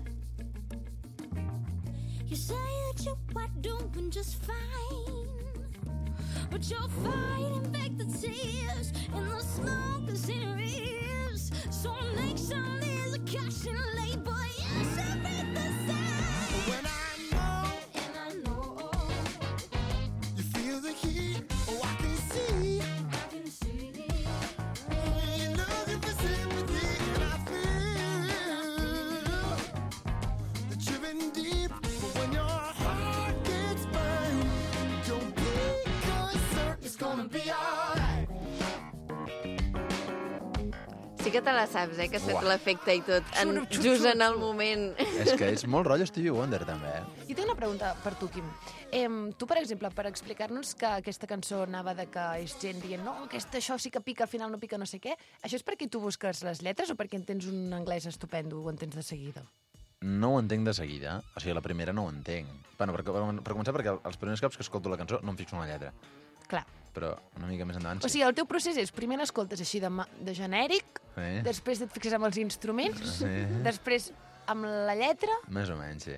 You say that you are doing just fine, but you're fighting back the tears and the smoke is in your ears. So make some there's a caution label. You should read the sign. But when I know And I know you feel the heat, oh I can see. I can see You're looking for sympathy, and I feel that you're in deep. But when your heart gets burned, don't be concerned. It's gonna be alright. Sí que te la saps, eh? Que has fet Uah. l'efecte i tot, en, Xuro, xuro, just en xuro. el moment. És que és molt rotllo Stevie Wonder, també, eh? Jo tinc una pregunta per tu, Quim. Em, tu, per exemple, per explicar-nos que aquesta cançó anava de que és gent dient no, aquesta, això sí que pica, al final no pica no sé què, això és perquè tu busques les lletres o perquè en tens un anglès estupendo o en tens de seguida? No ho entenc de seguida. O sigui, la primera no ho entenc. Bueno, per, per començar, perquè els primers cops que escolto la cançó no em fixo en la lletra. Clar. Però una mica més endavant O sigui, el teu procés és, primer l'escoltes així de, ma- de genèric, Sí. després et fixes amb els instruments, Sí. després amb la lletra, Més o menys, sí.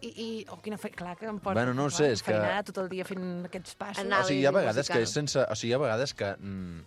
i... i oh, quina fe... Clar, que em porta... Bueno, no ho clar, sé, és que- feinada tot el dia fent aquests passos. Anar- O sigui, hi ha vegades musical. que és sense... O sigui, hi ha vegades que... Mm,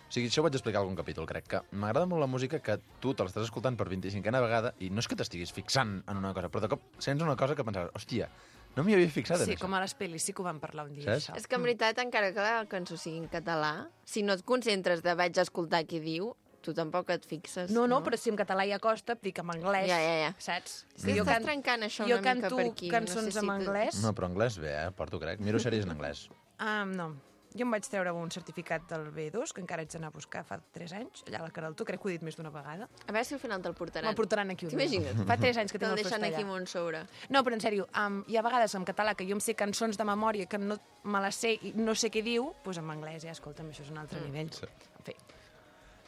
o sigui, això ho vaig explicar a algun capítol, crec, que m'agrada molt la música que tu te l'estàs escoltant per vint-i-cinquena vegada i no és que t'estiguis fixant en una cosa, però de cop sents una cosa que pensaves, hòstia, no m'hi havia fixat en Sí, això. com a les pel·lis, sí que ho vam parlar un dia, Saps? això. És que en veritat, encara que la cançó sigui en català, si no et concentres de vaig escoltar qui diu, tu tampoc et fixes. No, no, però si en català ja costa, et dic en anglès, Ja, ja, ja. saps? Sí, jo estàs can- trencant això jo una mica canto per aquí. cançons no sé si en tu- anglès. No, però anglès bé, eh? Porto, crec. Miro sèries en anglès. Ah, no. Jo em vaig treure un certificat del B dos, que encara haig d'anar a buscar fa tres anys, allà a la Caraltó, crec que ho he dit més d'una vegada. A veure si al final te'l portaran. Me'l portaran aquí un dia. T'imagines? Fa tres anys que tinc Te'l el deixen post aquí allà. a Montsoura. No, però en sèrio, um, hi ha vegades en català que jo em sé cançons de memòria que no me les sé i no sé què diu, doncs en anglès, ja, escolta'm, això és un altre nivell. Sí. En fi.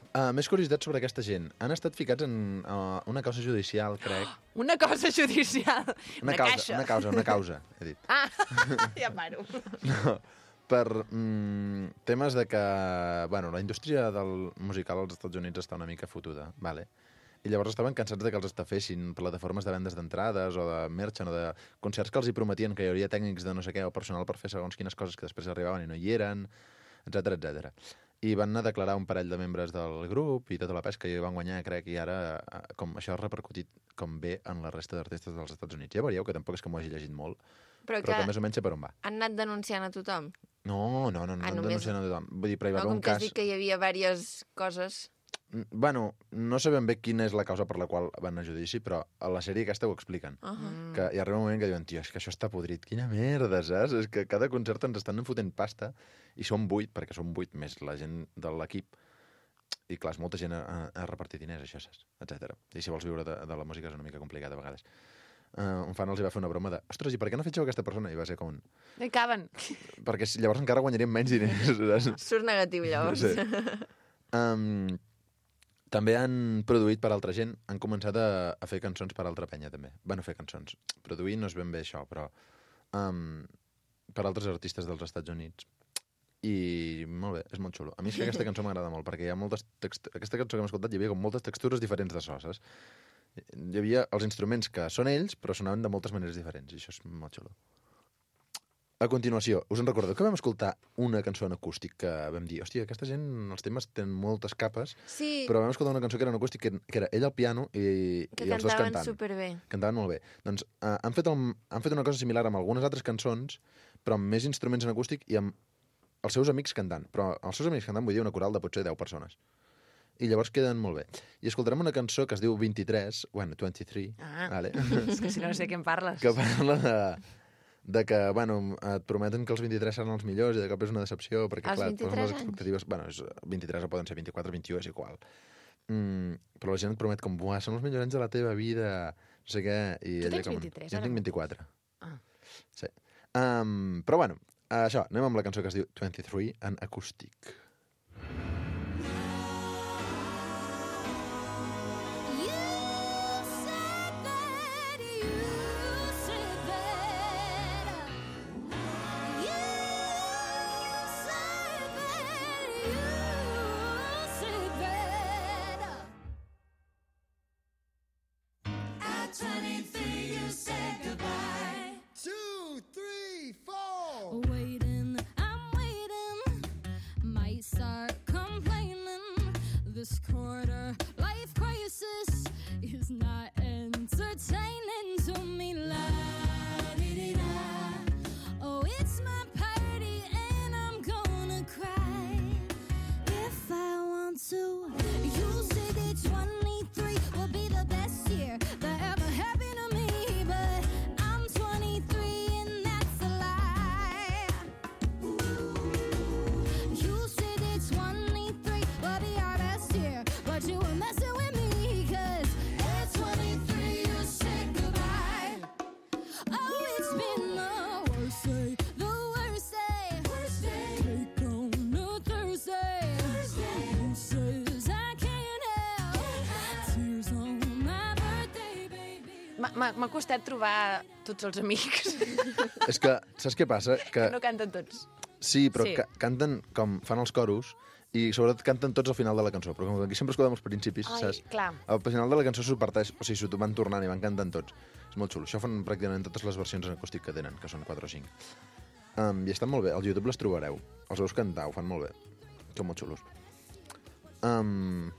Uh, més curiositats sobre aquesta gent. Han estat ficats en uh, una causa judicial, crec. Una cosa judicial. Una, Una, causa, caixa. una causa, una causa, he dit. Ah, ja paro. No, per mm, temes de que... Bueno, la indústria del musical als Estats Units està una mica fotuda, vale? I llavors estaven cansats de que els estafessin plataformes de vendes d'entrades o de merchant o de concerts que els hi prometien que hi hauria tècnics de no sé què o personal per fer segons quines coses que després arribaven i no hi eren, etcètera, etcètera. I van anar a declarar un parell de membres del grup i tota la pesca i van guanyar, crec, i ara eh, com això ha repercutit com bé en la resta d'artistes dels Estats Units. Ja veieu que tampoc és que m'ho hagi llegit molt, Però però que que més o menys sé per on va. han anat denunciant a tothom. No, no, no, no, Ah, no només- denunciant a tothom. Vull dir, però hi va No, haver com un que has cas... dit que hi havia diverses coses... Bueno, no sabem bé quina és la causa per la qual van a judici, però a la sèrie aquesta ho expliquen. Uh -huh. Que hi arriba un moment que diuen, tio, és que això està podrit, quina merda, saps? És que cada concert ens estan fotent pasta i som vuit, perquè som vuit més la gent de l'equip. I clar, és molta gent a, a repartir diners, això, saps? Etcètera. I si vols viure de, de la música és una mica complicat a vegades. Uh, un fan els hi va fer una broma de ostres, i per què no fitxeu aquesta persona? I va ser com un... No hi caben. Perquè llavors encara guanyaríem menys diners, saps? Surt negatiu, llavors. Sí. Um, també han produït per altra gent, han començat a, a fer cançons per altra penya, també. Van a fer cançons. Produir no és ben bé això, però um, per altres artistes dels Estats Units. I molt bé, és molt xulo. A mi és que aquesta cançó m'agrada molt, perquè hi ha moltes textures... Aquesta cançó que hem escoltat hi havia com moltes textures diferents de so, saps? Hi havia els instruments que són ells, però sonaven de moltes maneres diferents, i això és molt xulo. A continuació, us en recordeu que vam escoltar una cançó en acústic que vam dir, hòstia, aquesta gent, els temes tenen moltes capes, Sí, però vam escoltar una cançó que era en acústic, que, que era ell al piano i, que i els dos cantaven cantant. superbé. Cantaven molt bé. Doncs uh, han, fet el, han fet una cosa similar amb algunes altres cançons, però amb més instruments en acústic i amb els seus amics cantant. Però els seus amics cantant vull dir una coral de potser deu persones. I llavors queden molt bé. I escoltarem una cançó que es diu vint-i-tres, bueno, vint-i-tres, Ah, vale? és que si no, no sé de què em parles. que parla de, de que, bueno, et prometen que els vint-i-tres seran els millors i de cop és una decepció, perquè, Als clar, vint-i-tres posen les anys? expectatives... Bueno, és, vint-i-tres o poden ser vint-i-quatre, vint-i-u, és igual. Mm, però la gent et promet com, buah, són els millors anys de la teva vida, no sé què... I Tu ella tens com, vint-i-tres, Jo en ara? tinc vint-i-quatre. Ah. Sí. Um, però, bueno, això, anem amb la cançó que es diu vint-i-tres en acústic. You said that, you said that. You said that, you said that. At twenty-three, you said goodbye. Two, three, four. Waiting, I'm waiting. Might start complaining. This quarter life crisis is not entertaining to me. La-di-di-da. Oh, it's my party and I'm gonna cry if I want to. You say that twenty-three will be the best year that ever happened to me, but I'm twenty-three and that's a lie. You say that twenty-three will be our best year, but you were messing with me, 'cause at twenty-three you said goodbye. Oh, it's been the worst day, the worst day, worst day. Take on a Thursday, Thursday. Who says I can't help tears on my birthday, baby? M'ha- M'ha m'ha costat trobar tots els amics. És que, saps què passa? Que No canten tots. sí, però Sí. Ca canten com fan els coros i sobretot canten tots al final de la cançó, però com que aquí sempre escoltem els principis, Ai, saps? clar. Al final de la cançó s'ho parteix, o sigui, s'ho van tornant i van cantant tots. És molt xulo. Això fan pràcticament totes les versions en acústic que tenen, que són quatre o cinc. Um, I estan molt bé. Al YouTube les trobareu. Els veus cantar, ho fan molt bé. Són molt xulos. Um,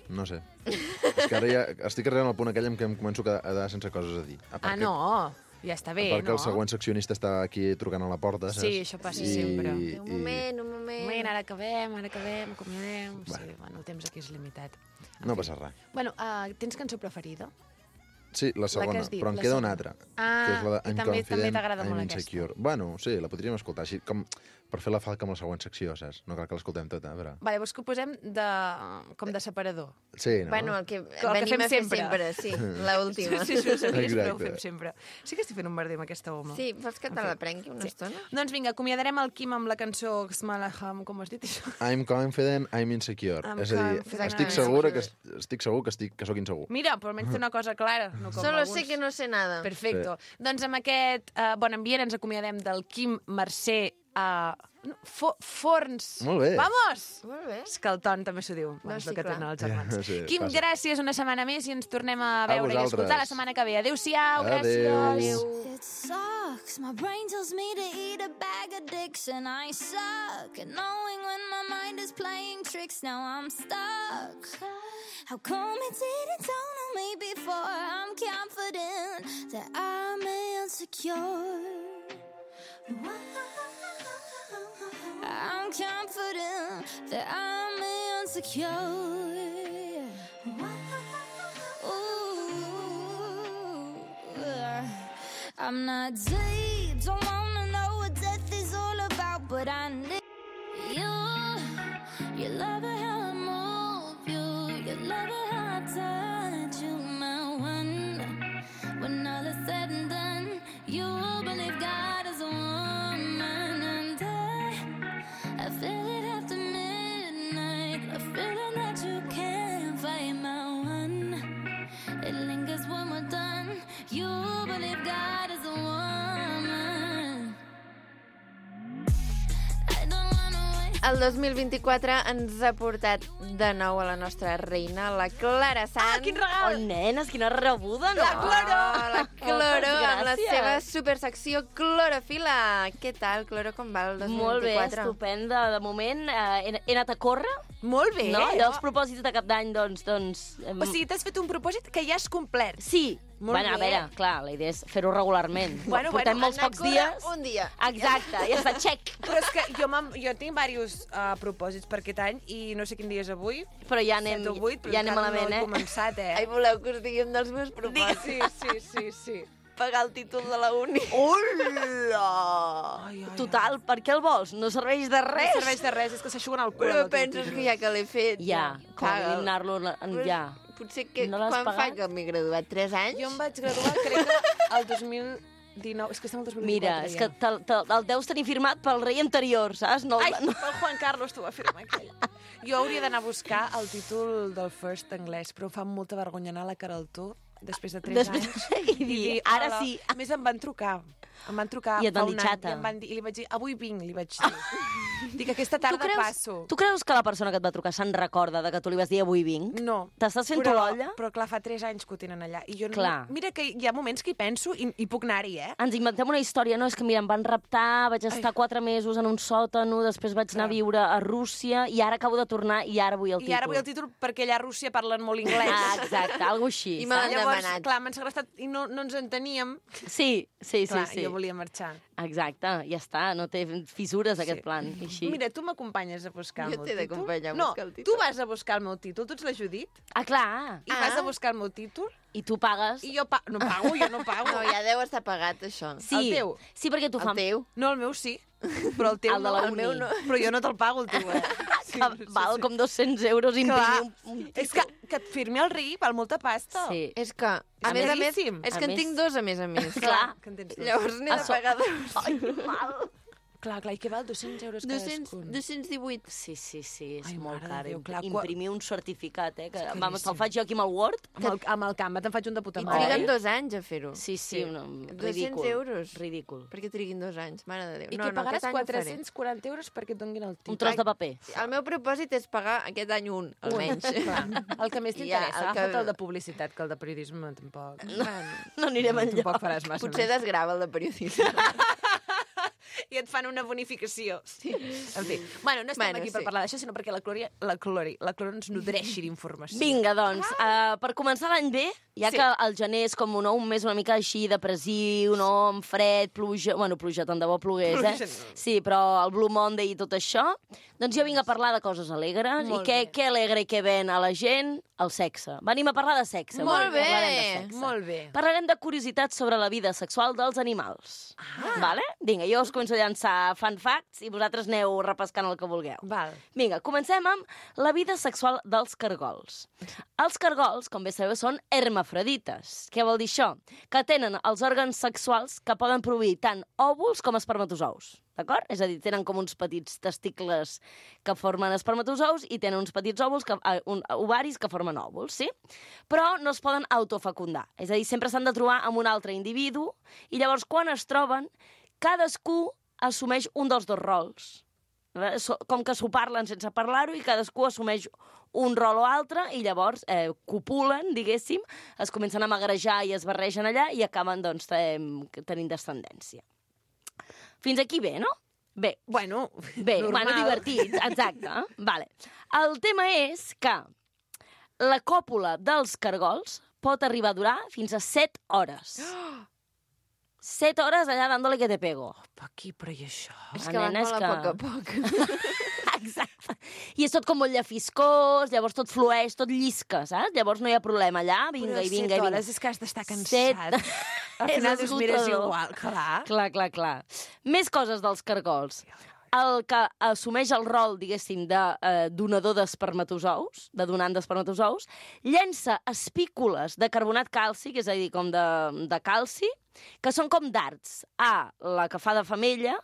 no sé. És que ara ja estic arribant al punt aquell en què em començo a quedar sense coses a dir. A part Ah, que- no, ja està bé, a part que no? el següent seccionista està aquí trucant a la porta, saps? Sí, això passa sempre. Un moment, un moment. Un moment, ara acabem, ara acabem, acomiadem... Bueno. Sí, bueno, el temps aquí és limitat. No passa res. Bueno, uh, tens cançó preferida? Sí, la segona, que has dit, però em la queda segona. una altra. Ah, que és la de i I'm també- Confident, també t'agrada I'm molt aquesta. Insecure. Bueno, sí, la podríem escoltar, així com per fer la falca amb la següent secció, saps? No cal que l'escoltem tota, però... Vale, vols que ho posem de, com de separador? Sí, no? Bueno, el que el que venim fem a fer sempre. sempre, sí, l'última. Sí, sí, ho sabies, però ho Exacte. fem sempre. Sí que estic fent un merder amb aquesta home. Sí, vols que te la prengui una estona? Doncs vinga, acomiadarem el Quim amb la cançó Xmalaham, com has dit això? I'm confident, I'm insecure. I'm és a dir, confident, estic I'm segura que, insecure. estic segur que, estic, que sóc insegur. Mira, però almenys té una cosa clara. No com Solo alguns. sé que no sé nada. Perfecto. Doncs amb aquest uh, bon ambient ens acomiadem del Quim Mercè a uh, fo Forns. Molt bé. Vamos! Molt bé. És que el ton també s'ho diu. No, sí, sí, que clar. tenen els germans. Ja, sí, Quim, passa. gràcies una setmana més i ens tornem a A veure i a vosaltres. escoltar la setmana que ve. Adéu-siau, Adéu. gràcies. It sucks. My brain tells me to eat a bag of dicks, and I suck at knowing when my mind is playing tricks. Now I'm stuck. How come it didn't dawn on me before? I'm confident that I'm insecure. I'm confident that I'm insecure. I'm not deep, don't wanna know what death is all about, but I need you. You love it how I move you. You love it how I touch you, my one. When all is said and done, you believe God is a woman, and I, I feel it after midnight, a feeling that you can't fight, my one. It lingers when we're done. You believe God is a woman. I don't wanna wait. El dos mil vint-i-quatre ens ha portat de nou a la nostra reina, la Clara Sant. Ah, quin regal! Oh, nenes, quina rebuda, no? La Cloro! Oh, la Cloro, Moltes amb la gràcies. seva supersecció Clorofila. Què tal, Cloro, com va el dos mil Molt bé, vint-i-quatre? estupenda. De moment eh, he, he anat a córrer, Molt bé. no? Allò, els propòsits de cap d'any, doncs... doncs em- O sigui, t'has fet un propòsit que ja has complert. Sí. Molt bueno, bé. a veure, clar, la idea és fer-ho regularment. Bueno, Portem bueno, molts Anar a pocs córrer dies. un dia. Exacte, ja està, check. Però és que jo, jo tinc diversos uh, propòsits per aquest any i no sé quin dia és avui. Però ja anem, set o vuit, però ja anem encara malament, no he eh? començat, eh? Ai, voleu que us digui un dels meus propòsits? Sí, sí, sí, sí. Pagar el títol de la uni. Hola! Ai, ai, Total, per què el vols? No serveix de No res. serveix de res, és que s'aixuguen el cul. Però amb el teu penses títol. que ja que l'he fet... Ja, com Paga'l. eliminar-lo en Però ja. Potser que No l'has quan fa pagat? que m'he graduat? Tres anys? Jo em vaig graduar, crec que el dos mil dinou... És que estem al dos mil Mira, vint-i-quatre és que ja. te'l, te'l, el deus tenir firmat pel rei anterior, saps? No, Ai, no. el Juan Carlos t'ho va firmar aquell. Jo hauria d'anar a buscar el títol del First anglès, però em fa molta vergonya anar a la Caraltó després de tres Després, anys. i dir, ara "Hola". sí. A més, em van trucar. Em van trucar I et fa van un dir, any, "Xata". I, em van dir, I li vaig dir, avui vinc, li vaig dir. Dic, aquesta tarda passo. tu creus que la persona que et va trucar se'n recorda de que tu li vas dir avui vinc? No. T'estàs fent però, l'olla? Però clar, fa tres anys que ho tenen allà. I jo no, Clar. mira que hi ha moments que hi penso i, i puc anar-hi, eh? Ens inventem una història, no? És que, mira, em van raptar, vaig estar Ai. quatre mesos en un sòtano, després vaig anar a Clar. viure a Rússia i ara acabo de tornar i ara vull el títol. I ara vull el títol perquè allà a Rússia parlen molt anglès. Ah, exacte, alguna així. I me saps? l'han Llavors, demanat. clar, m'han segrestat i no, no ens enteníem. Sí, sí, sí. Clar, sí. jo volia marxar. Exacte, ja està, no té fissures aquest Sí. plan. Així. Mira, tu m'acompanyes a buscar el Jo meu t'he títol? d'acompanyar a no, buscar el títol. tu vas a buscar el meu títol, tu ets la Judit, Ah, clar. i Ah. vas a buscar el meu títol, I tu pagues... i jo pa no pago, jo no pago. No, ja deu estar pagat, això. Sí, el teu? sí, perquè tu El fan... teu. No, el meu sí, però el teu El de no. la el uni. meu no. Però jo no te'l pago, el teu, eh? Sí, que val com dos-cents euros imprimir Clar, un, un títol. és que, que et firmi el ric val molta pasta. Sí. És que, a, És més a més, caríssim. és A que en més- tinc dos, a més a més. Clar. Que en tens dos. Llavors n'he A de so- pagar dos. Ai, que mal. Clar, clar, i què val? dos-cents euros dos-cents cadascun. dos-cents divuit. Sí, sí, sí, és Ai, molt mare de car. Déu, clar, qua- Imprimir un certificat, eh? Que, És vamos, te'l caríssim. faig jo aquí amb el Word. Amb el, amb el Canva te'n faig un de puta I mare. triguen dos anys a fer-ho. Sí, sí, no, dos-cents ridícul. euros. Ridícul. Perquè triguin dos anys, mare de Déu. I no, que no, pagaràs aquest any ho faré. quatre-cents quaranta euros perquè et donguin el títol. Un tros de paper. El meu propòsit és pagar aquest any un, almenys. Clar, el que més Ja, t'interessa, el agafa't que- el de publicitat, que el de periodisme tampoc. No anirem enlloc. Tampoc faràs massa Potser més. desgrava el de periodisme. I et fan una bonificació. Sí. En fi, bueno, no estem Bueno, aquí per sí. parlar d'això, sinó perquè la Clori, la Clori, la Clori ens nodreixi d'informació. Vinga, doncs, uh, per començar l'any bé, ja Sí. que el gener és com no, un mes una mica així depressiu, no? Amb fred, pluja... Bueno, pluja, tant de bo plogués, Pluja eh? no. Sí, però el Blue Monday i tot això. Doncs jo vinc a parlar de coses alegres. Molt I què, bé. què alegra i què ven a la gent? El sexe. Venim a parlar de sexe. Molt avui. bé. Parlarem de sexe. Molt bé. Parlarem de curiositats sobre la vida sexual dels animals. Ah. Vale? Vinga, jo us començo a llançar fun facts i vosaltres aneu repescant el que vulgueu. Val. Vinga, comencem amb la vida sexual dels cargols. Els cargols, com bé sabeu, són hermafrodites. Què vol dir això? Que tenen els òrgans sexuals que poden produir tant òvuls com espermatozous. D'acord? És a dir, tenen com uns petits testicles que formen espermatozous i tenen uns petits òvuls, que, uh, un, ovaris que formen òvuls, sí? Però no es poden autofecundar. És a dir, sempre s'han de trobar amb un altre individu i llavors quan es troben, cadascú assumeix un dels dos rols. So- Com que s'ho parlen sense parlar-ho i cadascú assumeix un rol o altre i llavors eh, copulen, diguéssim, es comencen a magrejar i es barregen allà i acaben, doncs, eh, tenint descendència. Fins aquí bé, no? Bé, Bueno, bé, normal. bueno, divertit, exacte. Vale. El tema és que la còpula dels cargols pot arribar a durar fins a set hores. Set hores allà dándole que te pego. Aquí, però i això? És La que van nena és molt a que- poc a poc. Exacte. I és tot com molt llefiscós, llavors tot flueix, tot llisca, saps? Llavors no hi ha problema allà, vinga Però i vinga set i vinga. hores és que has d'estar cansat. Set... Al És final dius, mira, és esgotador. igual, clar. Clar, clar, clar. Més coses dels cargols. El que assumeix el rol, diguéssim, de eh, donador d'espermatozous, de donant d'espermatozous, llença espícules de carbonat càlcic, és a dir, com de, de calci, que són com dards a la que fa de femella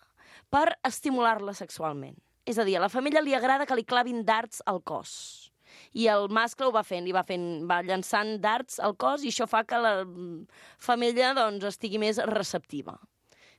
per estimular-la sexualment. És a dir, a la femella li agrada que li clavin dards al cos. I el mascle ho va fent, li va fent, va llançant dards al cos i això fa que la femella doncs, estigui més receptiva.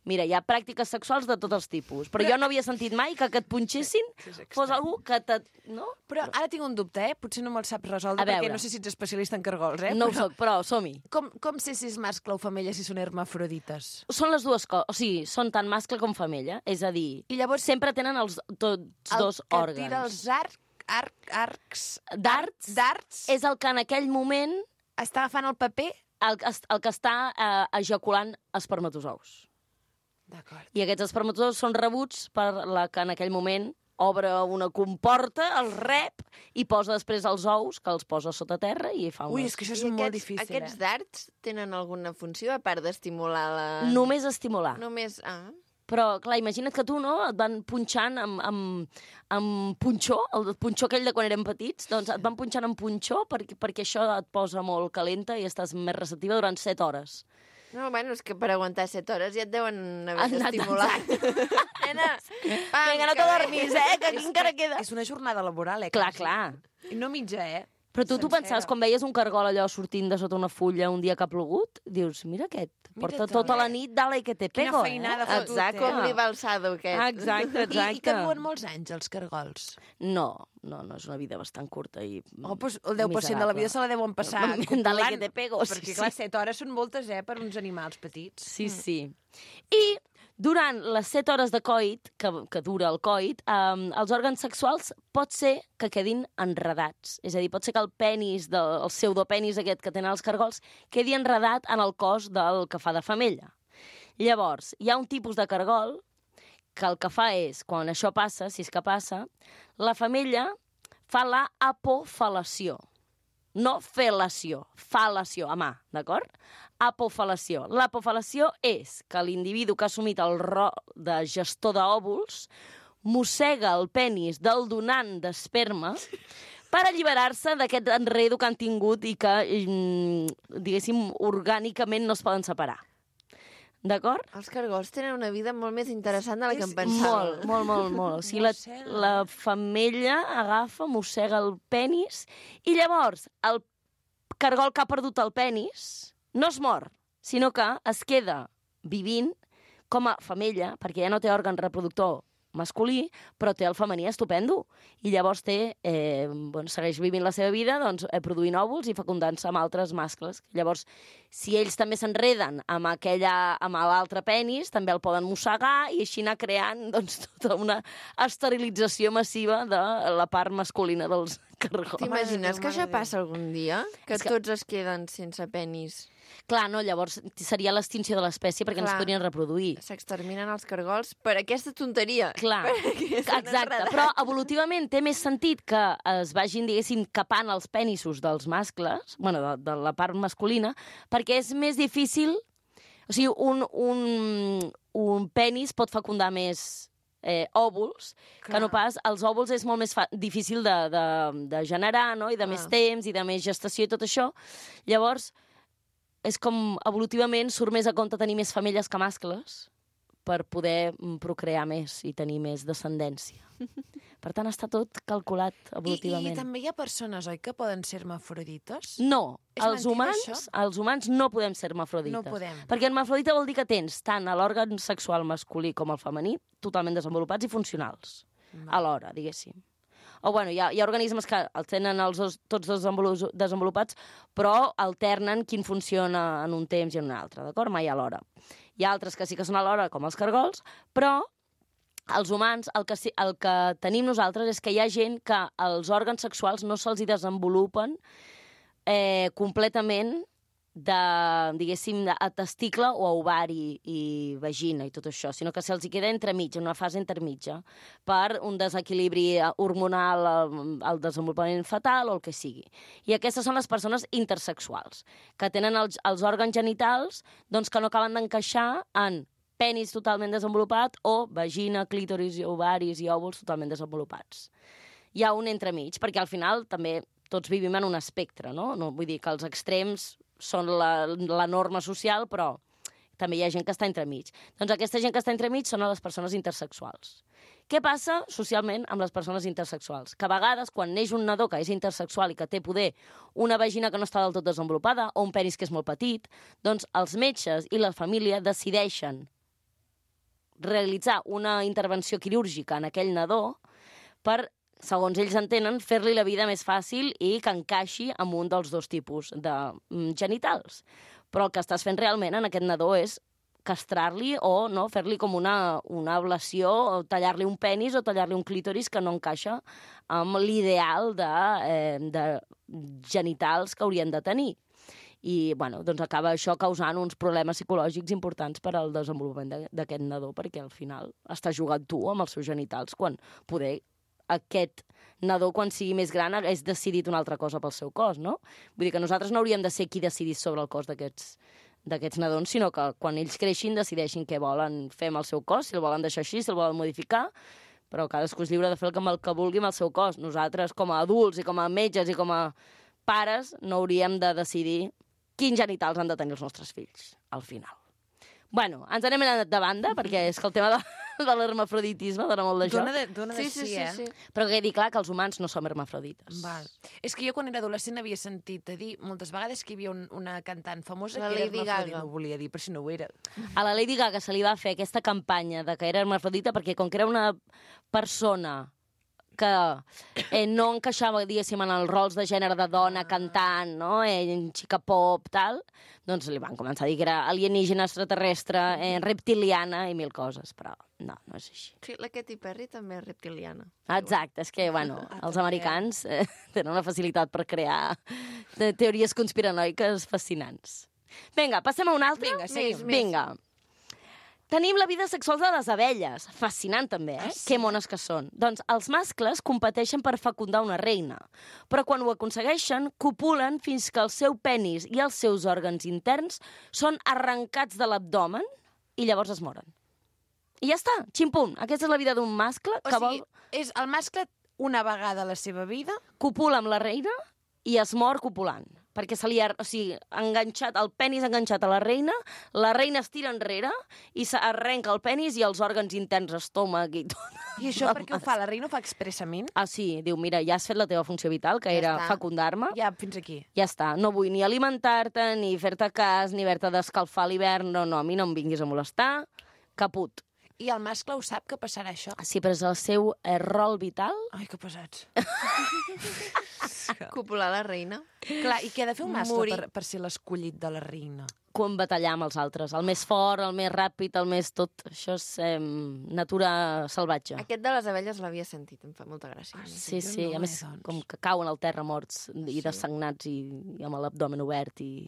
Mira, hi ha pràctiques sexuals de tots els tipus, però, però jo no havia sentit mai que que et punxessin sí, sí, fos algú que te... No? Però ara tinc un dubte, eh? Potser no me'l saps resoldre, perquè no sé si ets especialista en cargols, eh? No però... ho soc, però som-hi. Com, com sé si és mascle o femella, si són hermafrodites? Són les dues coses, o sigui, són tant mascle com femella, és a dir, I llavors, sempre tenen els tots el dos que òrgans. tira els arc, arc, arcs... Darts, darts és el que en aquell moment està agafant el paper? el, el que està eh, ejaculant espermatozous. D'acord. I aquests espermatozous són rebuts per la que en aquell moment obre una comporta, el rep, i posa després els ous, que els posa sota terra i fa Ui, unes... és que això és I molt aquests, difícil, aquests eh? dards tenen alguna funció a part d'estimular la... Només estimular. Només... Ah. Però, clar, imagina't que tu, no?, et van punxant amb, amb, amb punxó, el punxó aquell de quan érem petits, doncs et van punxant amb punxó perquè, perquè això et posa molt calenta i estàs més receptiva durant set hores. No, bueno, és que per aguantar set hores ja et deuen haver Han anat d'estimular. Nena, pam, Vinga, no que te bé. dormis, eh, que aquí encara queda. És una jornada laboral, eh? Clar, quasi. clar. I no mitja, eh? Però tu, tu Sencera. pensaves, quan veies un cargol allò sortint de sota una fulla un dia que ha plogut, dius, mira aquest, Mira porta tu, tota eh? la nit, dale que te Quina pego, feinada eh? fa tu, Exacte. Com li va el sado, aquest. Exacte, I, exacte. I que duen molts anys, els cargols. No, no, no, és una vida bastant curta i Oh, doncs el deu per cent de la vida se la deuen passar Dale controlant, que te pego, sí, perquè, sí. clar, set hores són moltes, eh, per uns animals petits. Sí, sí. I durant les set hores de coit, que, que dura el coit, um, els òrgans sexuals pot ser que quedin enredats. És a dir, pot ser que el penis, del, el pseudopenis aquest que tenen els cargols, quedi enredat en el cos del que fa de femella. Llavors, hi ha un tipus de cargol que el que fa és, quan això passa, si és que passa, la femella fa la apofalació. No fel·lació, fal·lació, a mà, d'acord? Apofalació. L'apofalació és que l'individu que ha assumit el rol de gestor d'òvuls mossega el penis del donant d'esperma per alliberar-se d'aquest enredo que han tingut i que, mm, diguéssim, orgànicament no es poden separar. D'acord? Els cargols tenen una vida molt més interessant de la que em És pensava. Molt, molt, molt, molt. O sigui, la, Mossega. la femella agafa, mossega el penis i llavors el cargol que ha perdut el penis no es mor, sinó que es queda vivint com a femella, perquè ja no té òrgan reproductor masculí, però té el femení estupendo. I llavors té, eh, bueno, segueix vivint la seva vida doncs, eh, produint òvuls i fecundant-se amb altres mascles. Llavors, si ells també s'enreden amb, aquella, amb l'altre penis, també el poden mossegar i així anar creant doncs, tota una esterilització massiva de la part masculina dels cargols. T'imagines Déu, que això mare de Déu. passa algun dia? Que És que- tots es queden sense penis? Clar, no, llavors seria l'extinció de l'espècie perquè no es Clar. podrien reproduir. S'exterminen els cargols per aquesta tonteria. Clar, Perquè s'han exacte. enredat. Però evolutivament té més sentit que es vagin, diguéssim, capant els penissos dels mascles, bueno, de, de la part masculina, perquè és més difícil... O sigui, un, un, un penis pot fecundar més eh, òvuls, Clar. que no pas... Els òvuls és molt més fa difícil de, de, de generar, no?, i de Clar. més temps, i de més gestació i tot això. Llavors, és com evolutivament surt més a compte tenir més femelles que mascles per poder mm, procrear més i tenir més descendència. Per tant, està tot calculat I, evolutivament. I també hi ha persones, oi, que poden ser hermafrodites? No, És els mentida, humans, això? els humans no podem ser hermafrodites. No podem. Perquè hermafrodita vol dir que tens tant l'òrgan sexual masculí com el femení totalment desenvolupats i funcionals. Alhora, diguéssim. O, bueno, hi ha, hi ha organismes que els tenen els dos, tots dos desenvolu- desenvolupats, però alternen quin funciona en un temps i en un altre, d'acord? Mai alhora. Hi ha altres que sí que són alhora, com els cargols, però els humans, el que, sí, el que tenim nosaltres és que hi ha gent que els òrgans sexuals no se'ls hi desenvolupen eh, completament de, diguéssim, a testicle o a ovari i vagina i tot això, sinó que se'ls queda entremig, en una fase intermitja, per un desequilibri hormonal al desenvolupament fetal o el que sigui. I aquestes són les persones intersexuals, que tenen els, els òrgans genitals doncs, que no acaben d'encaixar en penis totalment desenvolupat o vagina, clítoris, ovaris i òvuls totalment desenvolupats. Hi ha un entremig, perquè al final també tots vivim en un espectre, no? no vull dir que els extrems són la, la norma social, però també hi ha gent que està entremig. Doncs aquesta gent que està entremig són les persones intersexuals. Què passa socialment amb les persones intersexuals? Que a vegades, quan neix un nadó que és intersexual i que té poder una vagina que no està del tot desenvolupada o un penis que és molt petit, doncs els metges i la família decideixen realitzar una intervenció quirúrgica en aquell nadó per, segons ells entenen, fer-li la vida més fàcil i que encaixi amb un dels dos tipus de genitals. Però el que estàs fent realment en aquest nadó és castrar-li o no, fer-li com una, una ablació, o tallar-li un penis o tallar-li un clítoris que no encaixa amb l'ideal de, eh, de genitals que haurien de tenir. I, bueno, doncs acaba això causant uns problemes psicològics importants per al desenvolupament d'aquest nadó, perquè al final estàs jugant tu amb els seus genitals, quan poder aquest nadó, quan sigui més gran, hagués decidit una altra cosa pel seu cos, no? Vull dir que nosaltres no hauríem de ser qui decidís sobre el cos d'aquests d'aquests nadons, sinó que quan ells creixin decideixin què volen fer amb el seu cos, si el volen deixar així, si el volen modificar, però cadascú és lliure de fer el que vulgui amb el seu cos. Nosaltres, com a adults i com a metges i com a pares, no hauríem de decidir quins genitals han de tenir els nostres fills, al final. Bueno, ens anem anant de banda, perquè és que el tema de, de l'hermafroditisme dona molt de joc. Dona de, dona de sí, sí, sí, eh? sí, sí. Però quedi clar que els humans no som hermafrodites. Val. És que jo quan era adolescent havia sentit a dir moltes vegades que hi havia un, una cantant famosa la que era Lady hermafrodita. Gaga. No volia dir, però si no ho era. A la Lady Gaga se li va fer aquesta campanya de que era hermafrodita perquè com que era una persona que eh, no encaixava, diguéssim, en els rols de gènere de dona cantant, no? Eh, xica pop, tal, doncs li van començar a dir que era alienígena, extraterrestre, eh, reptiliana i mil coses, però no, no és així. Sí, la Katy Perry també és reptiliana. Exacte, és que, bueno, els americans eh, tenen una facilitat per crear teories conspiranoiques fascinants. Vinga, passem a un altre? Vinga, seguim. Vinga. Tenim la vida sexual de les abelles. Fascinant, també, eh? Ah, sí? Que mones que són. Doncs els mascles competeixen per fecundar una reina, però quan ho aconsegueixen, copulen fins que el seu penis i els seus òrgans interns són arrencats de l'abdomen i llavors es moren. I ja està, ximpum. Aquesta és la vida d'un mascle O que sigui, vol... és el mascle una vegada a la seva vida... Copula amb la reina i es mor copulant. Perquè se li ha, o sigui, enganxat, el penis enganxat a la reina, la reina es tira enrere i s'arrenca el penis i els òrgans interns, estómac i tot. I això per què ho fa? La reina ho fa expressament? Ah, sí, diu, mira, ja has fet la teva funció vital, que Ja era està. fecundar-me. Ja, fins aquí. Ja està, no vull ni alimentar-te, ni fer-te cas, ni haver-te d'escalfar a l'hivern, no, no, a mi no em vinguis a molestar, caput. I el mascle ho sap que passarà això? Sí, però és el seu eh, rol vital. Ai, que pesats. Copular la reina. Clar, i què ha de fer un mascle Morir. per, per ser l'escollit de la reina? Com batallar amb els altres. El més fort, el més ràpid, el més tot. Això és eh, natura salvatge. Aquest de les abelles l'havia sentit, em fa molta gràcia. Ah, Sí, jo sí, no, a més, eh, doncs. com que cauen al terra morts i Sí. dessagnats i, i amb l'abdomen obert i...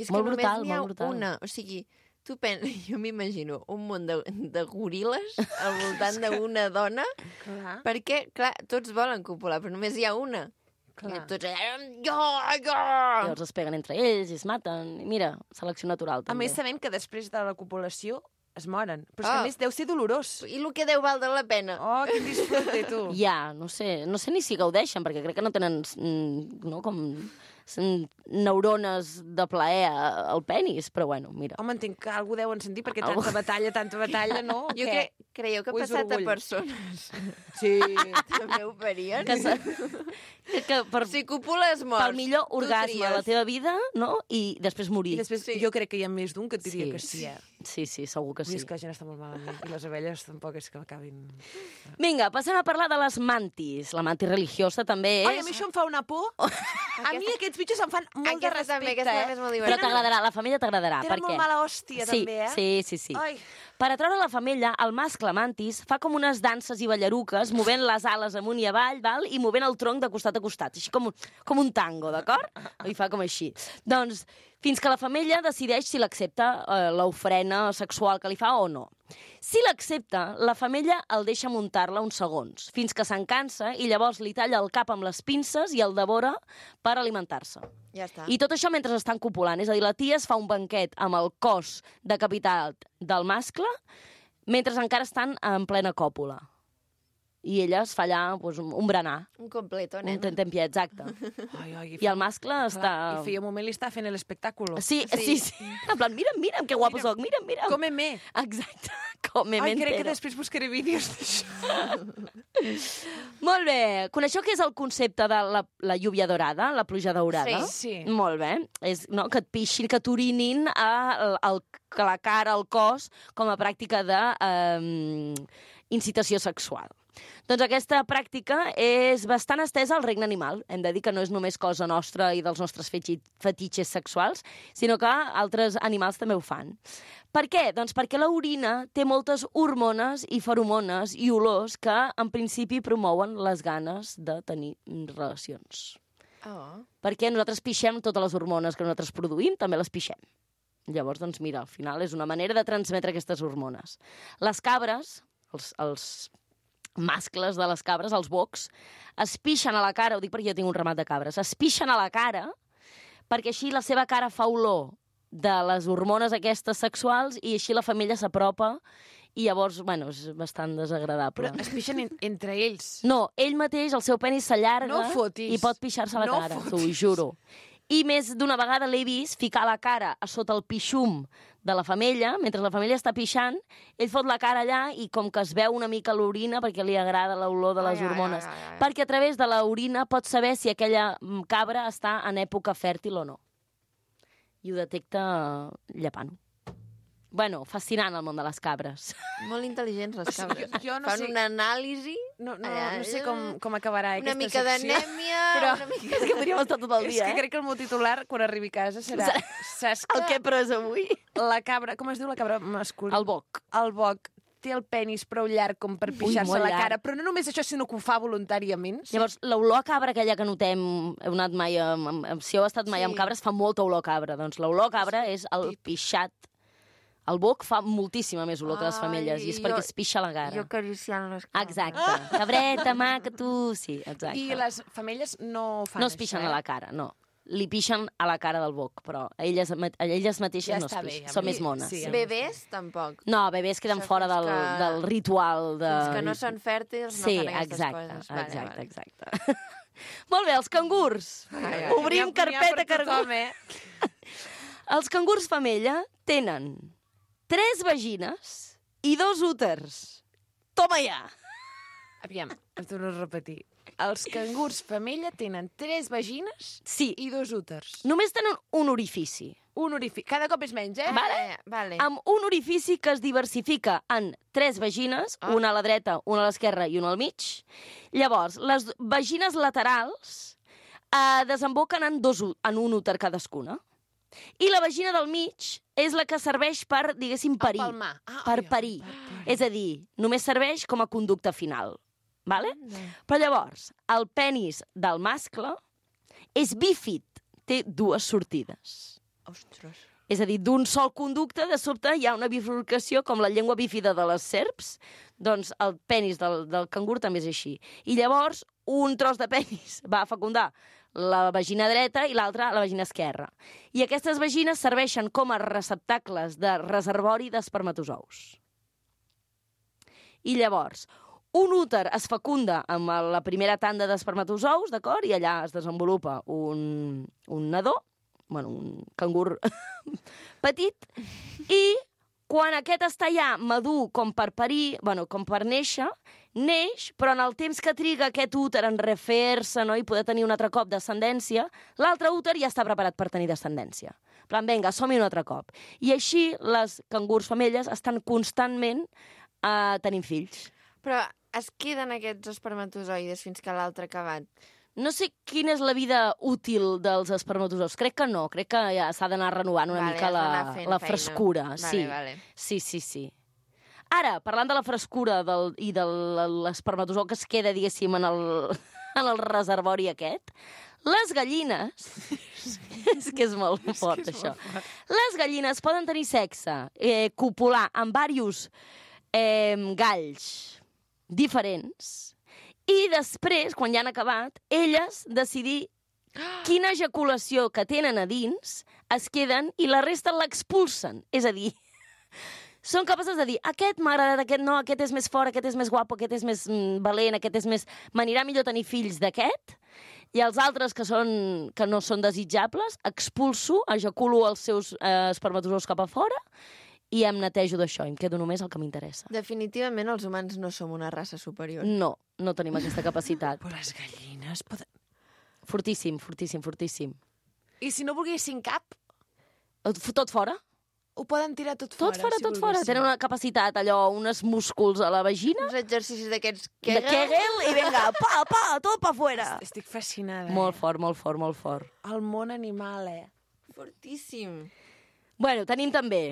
És Molt que només brutal, n'hi ha molt brutal. una. O sigui, tu pen... jo m'imagino un munt de, de goril·les al voltant d'una dona, Clar, perquè, clar, tots volen copular, però només hi ha una. clar. I tots allà, jo, jo! Llavors es peguen entre ells i es maten. I mira, selecció natural, A també. més, sabem que després de la copulació es moren. Però és que, Ah. a més, deu ser dolorós. I el que deu valdre la pena. Oh, quin disfrute, tu. Ja, no sé, no sé ni si gaudeixen, perquè crec que no tenen, mm, no, com mm, neurones de plaer a- al penis, però bueno, mira. Home, entenc que algú deuen sentir, perquè Algú- tanta batalla, tanta batalla, no? Jo Què? cre creieu que ha O és passat orgull? a persones Sí. també ho farien? Que, se, que, que per, Si copules morts, pel millor tu orgasme de la tries. teva vida, no? I després morir. I després Sí. jo crec que hi ha més d'un que et diria Sí. que sí, eh? Sí, sí, segur que Vull dir, sí. és que la gent està molt malament. I les abelles tampoc és que acabin... Vinga, passem a parlar de les mantis. La mantis religiosa també és... Ai, a mi això em fa una por. A mi aquests bitxos em fan molt de Aquesta respecte, també, aquesta eh? també és molt Però divertida. t'agradarà, la femella t'agradarà. Tenen Per molt què? mala hòstia, sí, també, eh? Sí, sí, sí. Ai. Per atraure la femella, el mascle mantis fa com unes danses i ballaruques, movent les ales amunt i avall, val? I movent el tronc de costat a costat, així com, un- com un tango, d'acord? I fa com així. Doncs, fins que la femella decideix si l'accepta eh, l'ofrena sexual que li fa o no. Si l'accepta, la femella el deixa muntar-la uns segons, fins que se'n cansa i llavors li talla el cap amb les pinces i el devora per alimentar-se. Ja està. I tot això mentre estan copulant. És a dir, la tia es fa un banquet amb el cos decapitat del mascle mentre encara estan en plena còpula. I ella es fa allà pues, un, un berenar. Un completo, Un nen. tentempié, exacte. Ai, ai, I el mascle està... I feia un moment li està fent l'espectàculo. Sí, sí, sí. En plan, mira'm, mira'm, que guapo soc, mira'm, mira'm. Come-me. Exacte, come-me Ai, crec que entero. després buscaré vídeos d'això. Molt bé. Coneixeu què és el concepte de la, la lluvia dorada, la pluja daurada? Sí, sí. Molt bé. És no, que et pixin, que t'orinin a, el, a la cara, al cos, com a pràctica de eh, incitació sexual. Doncs aquesta pràctica és bastant estesa al regne animal. Hem de dir que no és només cosa nostra i dels nostres fetitxes sexuals, sinó que altres animals també ho fan. Per què? Doncs perquè l'orina té moltes hormones i feromones i olors que, en principi, promouen les ganes de tenir relacions. Oh. Perquè nosaltres pixem totes les hormones que nosaltres produïm, també les pixem. Llavors, doncs, mira, al final és una manera de transmetre aquestes hormones. Les cabres, els, els mascles de les cabres, els bocs, es pixen a la cara, ho dic perquè jo tinc un ramat de cabres, es pixen a la cara perquè així la seva cara fa olor de les hormones aquestes sexuals i així la femella s'apropa i llavors, bueno, és bastant desagradable. Però es pixen en, entre ells. No, ell mateix, el seu penis s'allarga No fotis. i pot pixar-se a la No cara, fotis. t'ho juro. I més d'una vegada l'he vist ficar la cara a sota el pixum de la femella, mentre la femella està pixant, ell fot la cara allà i com que es veu una mica l'orina perquè li agrada l'olor de les Ai, ai, hormones. ai, ai, ai. Perquè a través de l'orina pot saber si aquella mm, cabra està en època fèrtil o no. I ho detecta llepant. Bueno, fascinant el món de les cabres. Molt intel·ligents, les cabres. Jo, jo no Fan sé... una anàlisi... No, no, allà, no sé com, com acabarà Una aquesta mica secció. d'anèmia, Però- una mica... És que podríem estar tot el És dia, que eh? crec que el meu titular, quan arribi a casa, serà... Saps que El que he pres avui? la cabra... Com es diu la cabra masculina? El boc. El boc té el penis prou llarg com per pixar-se molt la llarg. cara, però no només això, sinó que ho fa voluntàriament. Llavors, l'olor a cabra aquella que notem, heu anat mai amb, amb, amb, si heu estat mai Sí. amb cabres, fa molta olor a cabra. Doncs l'olor a cabra és el pixat. El boc fa moltíssima més olor que les Ai, femelles, i és jo- perquè es pixa la cara. Jo acariciant les cabres. Exacte. Cabreta, maca, tu... Sí, exacte. I les femelles no fan No es pixen això, a eh? la cara, no. Li pixen a la cara del boc, però elles, ma- elles mateixes Ja no es està bé, pixen. ja Són bé. més mones. Sí, Sí, Bebès, tampoc. No, bebès queden Això fora fins del, que- del ritual de... Fins que no són fèrtils Sí, no fan aquestes exacte, coses. Vale, exacte, vale. exacte. Molt bé, els cangurs. Ai, ai. Obrim N'hi ha- n'hi ha carpeta per cangur. tothom, eh? Els cangurs femella tenen tres vagines i dos úters. Toma ja! Aviam, em torno a repetir. Els cangurs femella tenen tres vagines Sí, i dos úters. només tenen un orifici. Un orifici. Cada cop és menys, eh? Vale. Eh, vale. Amb un orifici que es diversifica en tres vagines, Ah. una a la dreta, una a l'esquerra i una al mig. Llavors, les vagines laterals eh, desemboquen en, dos, ú- en un úter cadascuna. I la vagina del mig és la que serveix per, diguéssim, parir. palmar. Ah, per ai, parir. per parir. És a dir, només serveix com a conducte final. Vale? Però llavors, el penis del mascle és bífid, té dues sortides. Ostres. És a dir, d'un sol conducte, de sobte hi ha una bifurcació, com la llengua bífida de les serps, doncs el penis del, del cangur també és així. I llavors, un tros de penis va a fecundar la vagina dreta i l'altra la vagina esquerra. I aquestes vagines serveixen com a receptacles de reservori d'espermatozous. I llavors, un úter es fecunda amb la primera tanda d'espermatozous, d'acord? I allà es desenvolupa un, un nadó, bueno, un cangur petit, i quan aquest està ja madur com per parir, bueno, com per néixer, neix, però en el temps que triga aquest úter en refer-se, no?, i poder tenir un altre cop descendència, l'altre úter ja està preparat per tenir descendència. En plan, vinga, som-hi un altre cop. I així les cangurs femelles estan constantment eh, tenint fills. Però es queden aquests espermatozoides fins que l'altre ha acabat. No sé quina és la vida útil dels espermatozous. Crec que no. Crec que ja s'ha d'anar renovant una Vale, mica has la, d'anar fent la feina. frescura. Vale, sí. vale. sí, sí, sí. Ara, parlant de la frescura del, i de l'espermatozou que es queda, diguéssim, en el, en el reservori aquest, Les gallines... és que és molt fort, això. Les gallines poden tenir sexe, eh, copular amb diversos eh, galls diferents i després, quan ja han acabat, elles decidir quina ejaculació que tenen a dins es queden i la resta l'expulsen. És a dir, són capaces de dir aquest m'ha agradat, aquest no, aquest és més fort, aquest és més guapo, aquest és més mm, valent, aquest és més... m'anirà millor tenir fills d'aquest, i els altres que, són, que no són desitjables, expulso, ejaculo els seus eh, espermatozous cap a fora i em netejo d'això, em quedo només el que m'interessa. Definitivament els humans no som una raça superior. No, no tenim aquesta capacitat. Però les gallines poden... Fortíssim, fortíssim, fortíssim. I si no volguessin cap, Tot fora? ho poden tirar tot, Tot fora. fora, si tot fora. volguessin. Tenen una capacitat, allò, uns músculs a la vagina, Uns exercicis d'aquests de Kegel. Kegel, i vinga, pa, pa, tot pa fora. Estic fascinada. Molt fort, molt fort, molt fort. El món animal, eh? Fortíssim. Bueno, tenim també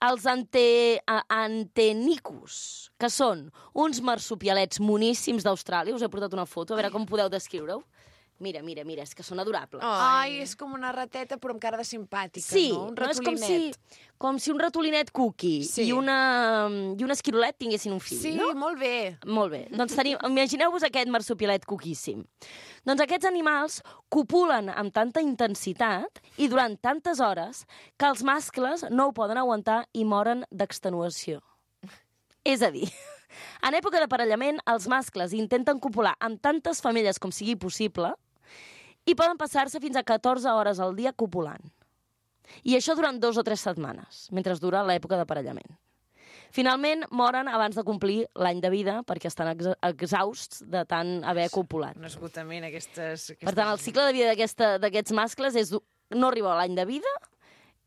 els ante, a- antenicus, que són uns marsupialets moníssims d'Austràlia. Us he portat una foto, a veure com podeu descriure-ho. Mira, mira, mira, és que són adorables. Ai, és com una rateta, però amb cara de simpàtica, Sí, no? Un no és com si, ratolinet. com si un ratolinet cookie Sí. i, una, i un esquirolet tinguessin un fill, Sí, no? molt bé. Molt bé. Doncs tenim, imagineu-vos aquest marsupialet coquíssim. Doncs aquests animals copulen amb tanta intensitat i durant tantes hores que els mascles no ho poden aguantar i moren d'extenuació. És a dir, en època d'aparellament, els mascles intenten copular amb tantes femelles com sigui possible i poden passar-se fins a catorze hores al dia copulant. I això durant dos o tres setmanes, mentre dura l'època d'aparellament. Finalment, moren abans de complir l'any de vida perquè estan ex exhausts de tant haver copulat. Un esgotament, aquestes... aquestes... Per tant, el cicle de vida d'aquesta- d'aquests mascles és no arribar a l'any de vida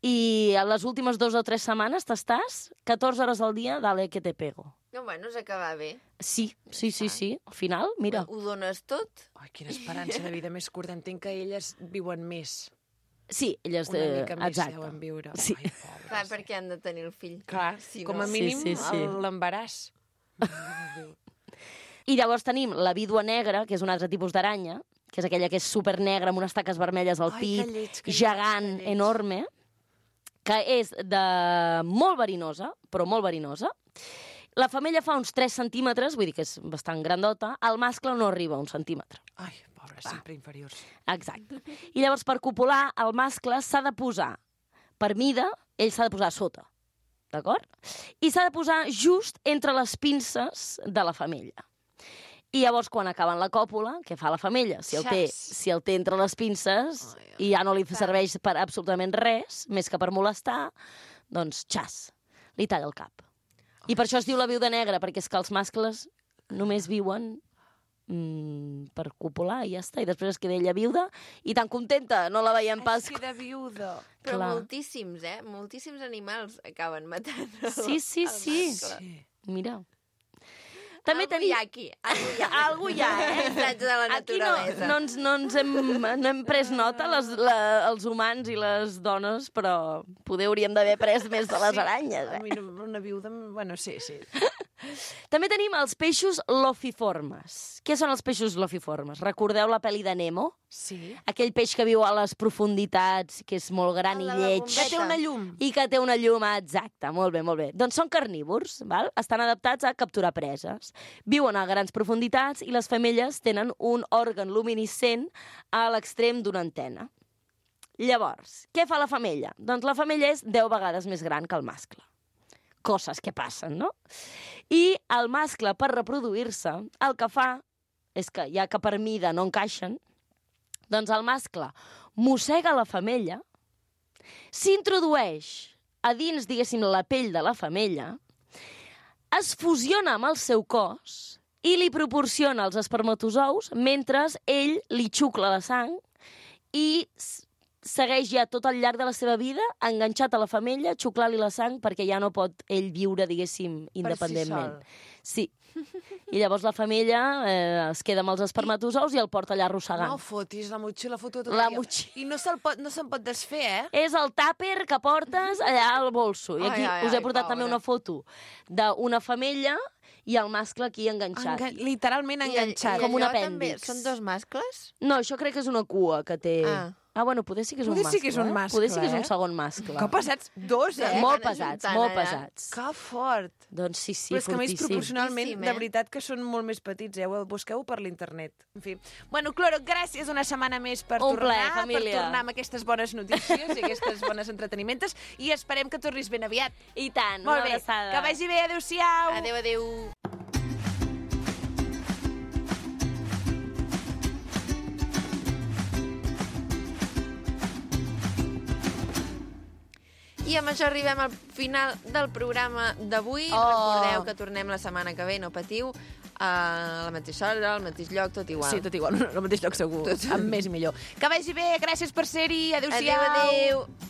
i a les últimes dues o tres setmanes t'estàs catorze hores al dia, dale que te pego. No, bueno, s'acaba bé. Sí, sí, sí, sí. Al final, mira. Ho dones tot. Ai, quina esperança de vida més curta. Entenc que elles viuen més. Sí, elles... Una eh, mica més exacte. deuen viure. Sí. Ai, pobres. Clar, perquè han de tenir el fill. Clar, Si com a no- mínim Sí, sí, sí. l'embaràs. I llavors tenim la vídua negra, que és un altre tipus d'aranya, que és aquella que és super negra amb unes taques vermelles al Ai, pit, que lleig, que lleig, gegant, que lleig. enorme, que és de molt verinosa, però molt verinosa. La femella fa uns tres centímetres, vull dir que és bastant grandota, el mascle no arriba a un centímetre. Ai, pobres, sempre inferiors. Exacte. I llavors, per copular, el mascle s'ha de posar, per mida, ell s'ha de posar a sota, d'acord? I s'ha de posar just entre les pinces de la femella. I llavors, quan acaben la còpula, què fa la femella? Si el té, Xas. si el té entre les pinces i ja no li serveix per absolutament res, més que per molestar, doncs, xas, li talla el cap. I per això es diu la viuda negra, perquè és que els mascles només viuen mm, per copular i ja està. I després es queda ella viuda i tan contenta, no la veiem pas. Es queda viuda. Però Clar. moltíssims, eh? Moltíssims animals acaben matant. Sí, sí, el sí. mascle. Sí. Mira. També Algú tenim... hi ha aquí. Algú hi ha. Algú hi ha, eh? Missatge de la Aquí no, naturalesa. no, ens, no, ens hem, no hem pres nota, les, la, els humans i les dones, però poder hauríem d'haver pres més de les aranyes. A Eh? mi no- una viuda... Bueno, sí, sí. També tenim els peixos lofiformes. Què són els peixos lofiformes? Recordeu la pel·li de Nemo? Sí. Aquell peix que viu a les profunditats, que és molt gran i Ah, la lleig. bombeta. Que té una llum. I que té una llum, exacta, molt bé, molt bé. Doncs són carnívors, val? Estan adaptats a capturar preses. Viuen a grans profunditats i les femelles tenen un òrgan luminescent a l'extrem d'una antena. Llavors, què fa la femella? Doncs la femella és deu vegades més gran que el mascle. Coses que passen, no? I el mascle, per reproduir-se, el que fa és que, ja que per mida no encaixen, doncs el mascle mossega la femella, s'introdueix a dins, diguéssim, la pell de la femella, es fusiona amb el seu cos i li proporciona els espermatozous mentre ell li xucla la sang i s- segueix ja tot al llarg de la seva vida enganxat a la femella, xuclar-li la sang perquè ja no pot ell viure, diguéssim, independentment. Sí. I llavors la femella eh, es queda amb els espermatozous i el porta allà arrossegant. No fotis, la motxilla foto tot La el dia. motxilla. I no se'n pot, no se'n pot desfer, eh? És el tàper que portes allà al bolso. I aquí Ai, ai, us he ai, portat pobra. també una foto d'una femella i el mascle aquí enganxat. Engan literalment I, enganxat. Com un allò també apèndix. són dos mascles? No, això crec que és una cua que té... Ah. Ah, bueno, poder sí que és Poder un sí mascle. que és un eh? mascle, Poder sí que és eh? un segon mascle. Que pesats, dos, eh? Molt Van pesats, ajuntant molt allà. pesats. Que fort. Doncs sí, sí, Però és que a més fortíssim. proporcionalment, Fortíssim, de eh? veritat que són molt més petits, eh? Busqueu per l'internet. En fi. Bueno, Cloro, gràcies una setmana més per Un tornar, plaer, per família. tornar amb aquestes bones notícies i aquestes bones entretenimentes, i esperem que tornis ben aviat. I tant, Molt una bé, abraçada. que vagi bé, adéu-siau. Adéu, adéu. I amb això arribem al final del programa d'avui. Oh. Recordeu que tornem la setmana que ve, no patiu, a la mateixa hora, al mateix lloc, tot igual. Sí, tot igual, al mateix lloc segur, Tot. amb més i millor. Que vagi bé, gràcies per ser-hi, adéu-siau. Adéu, adéu.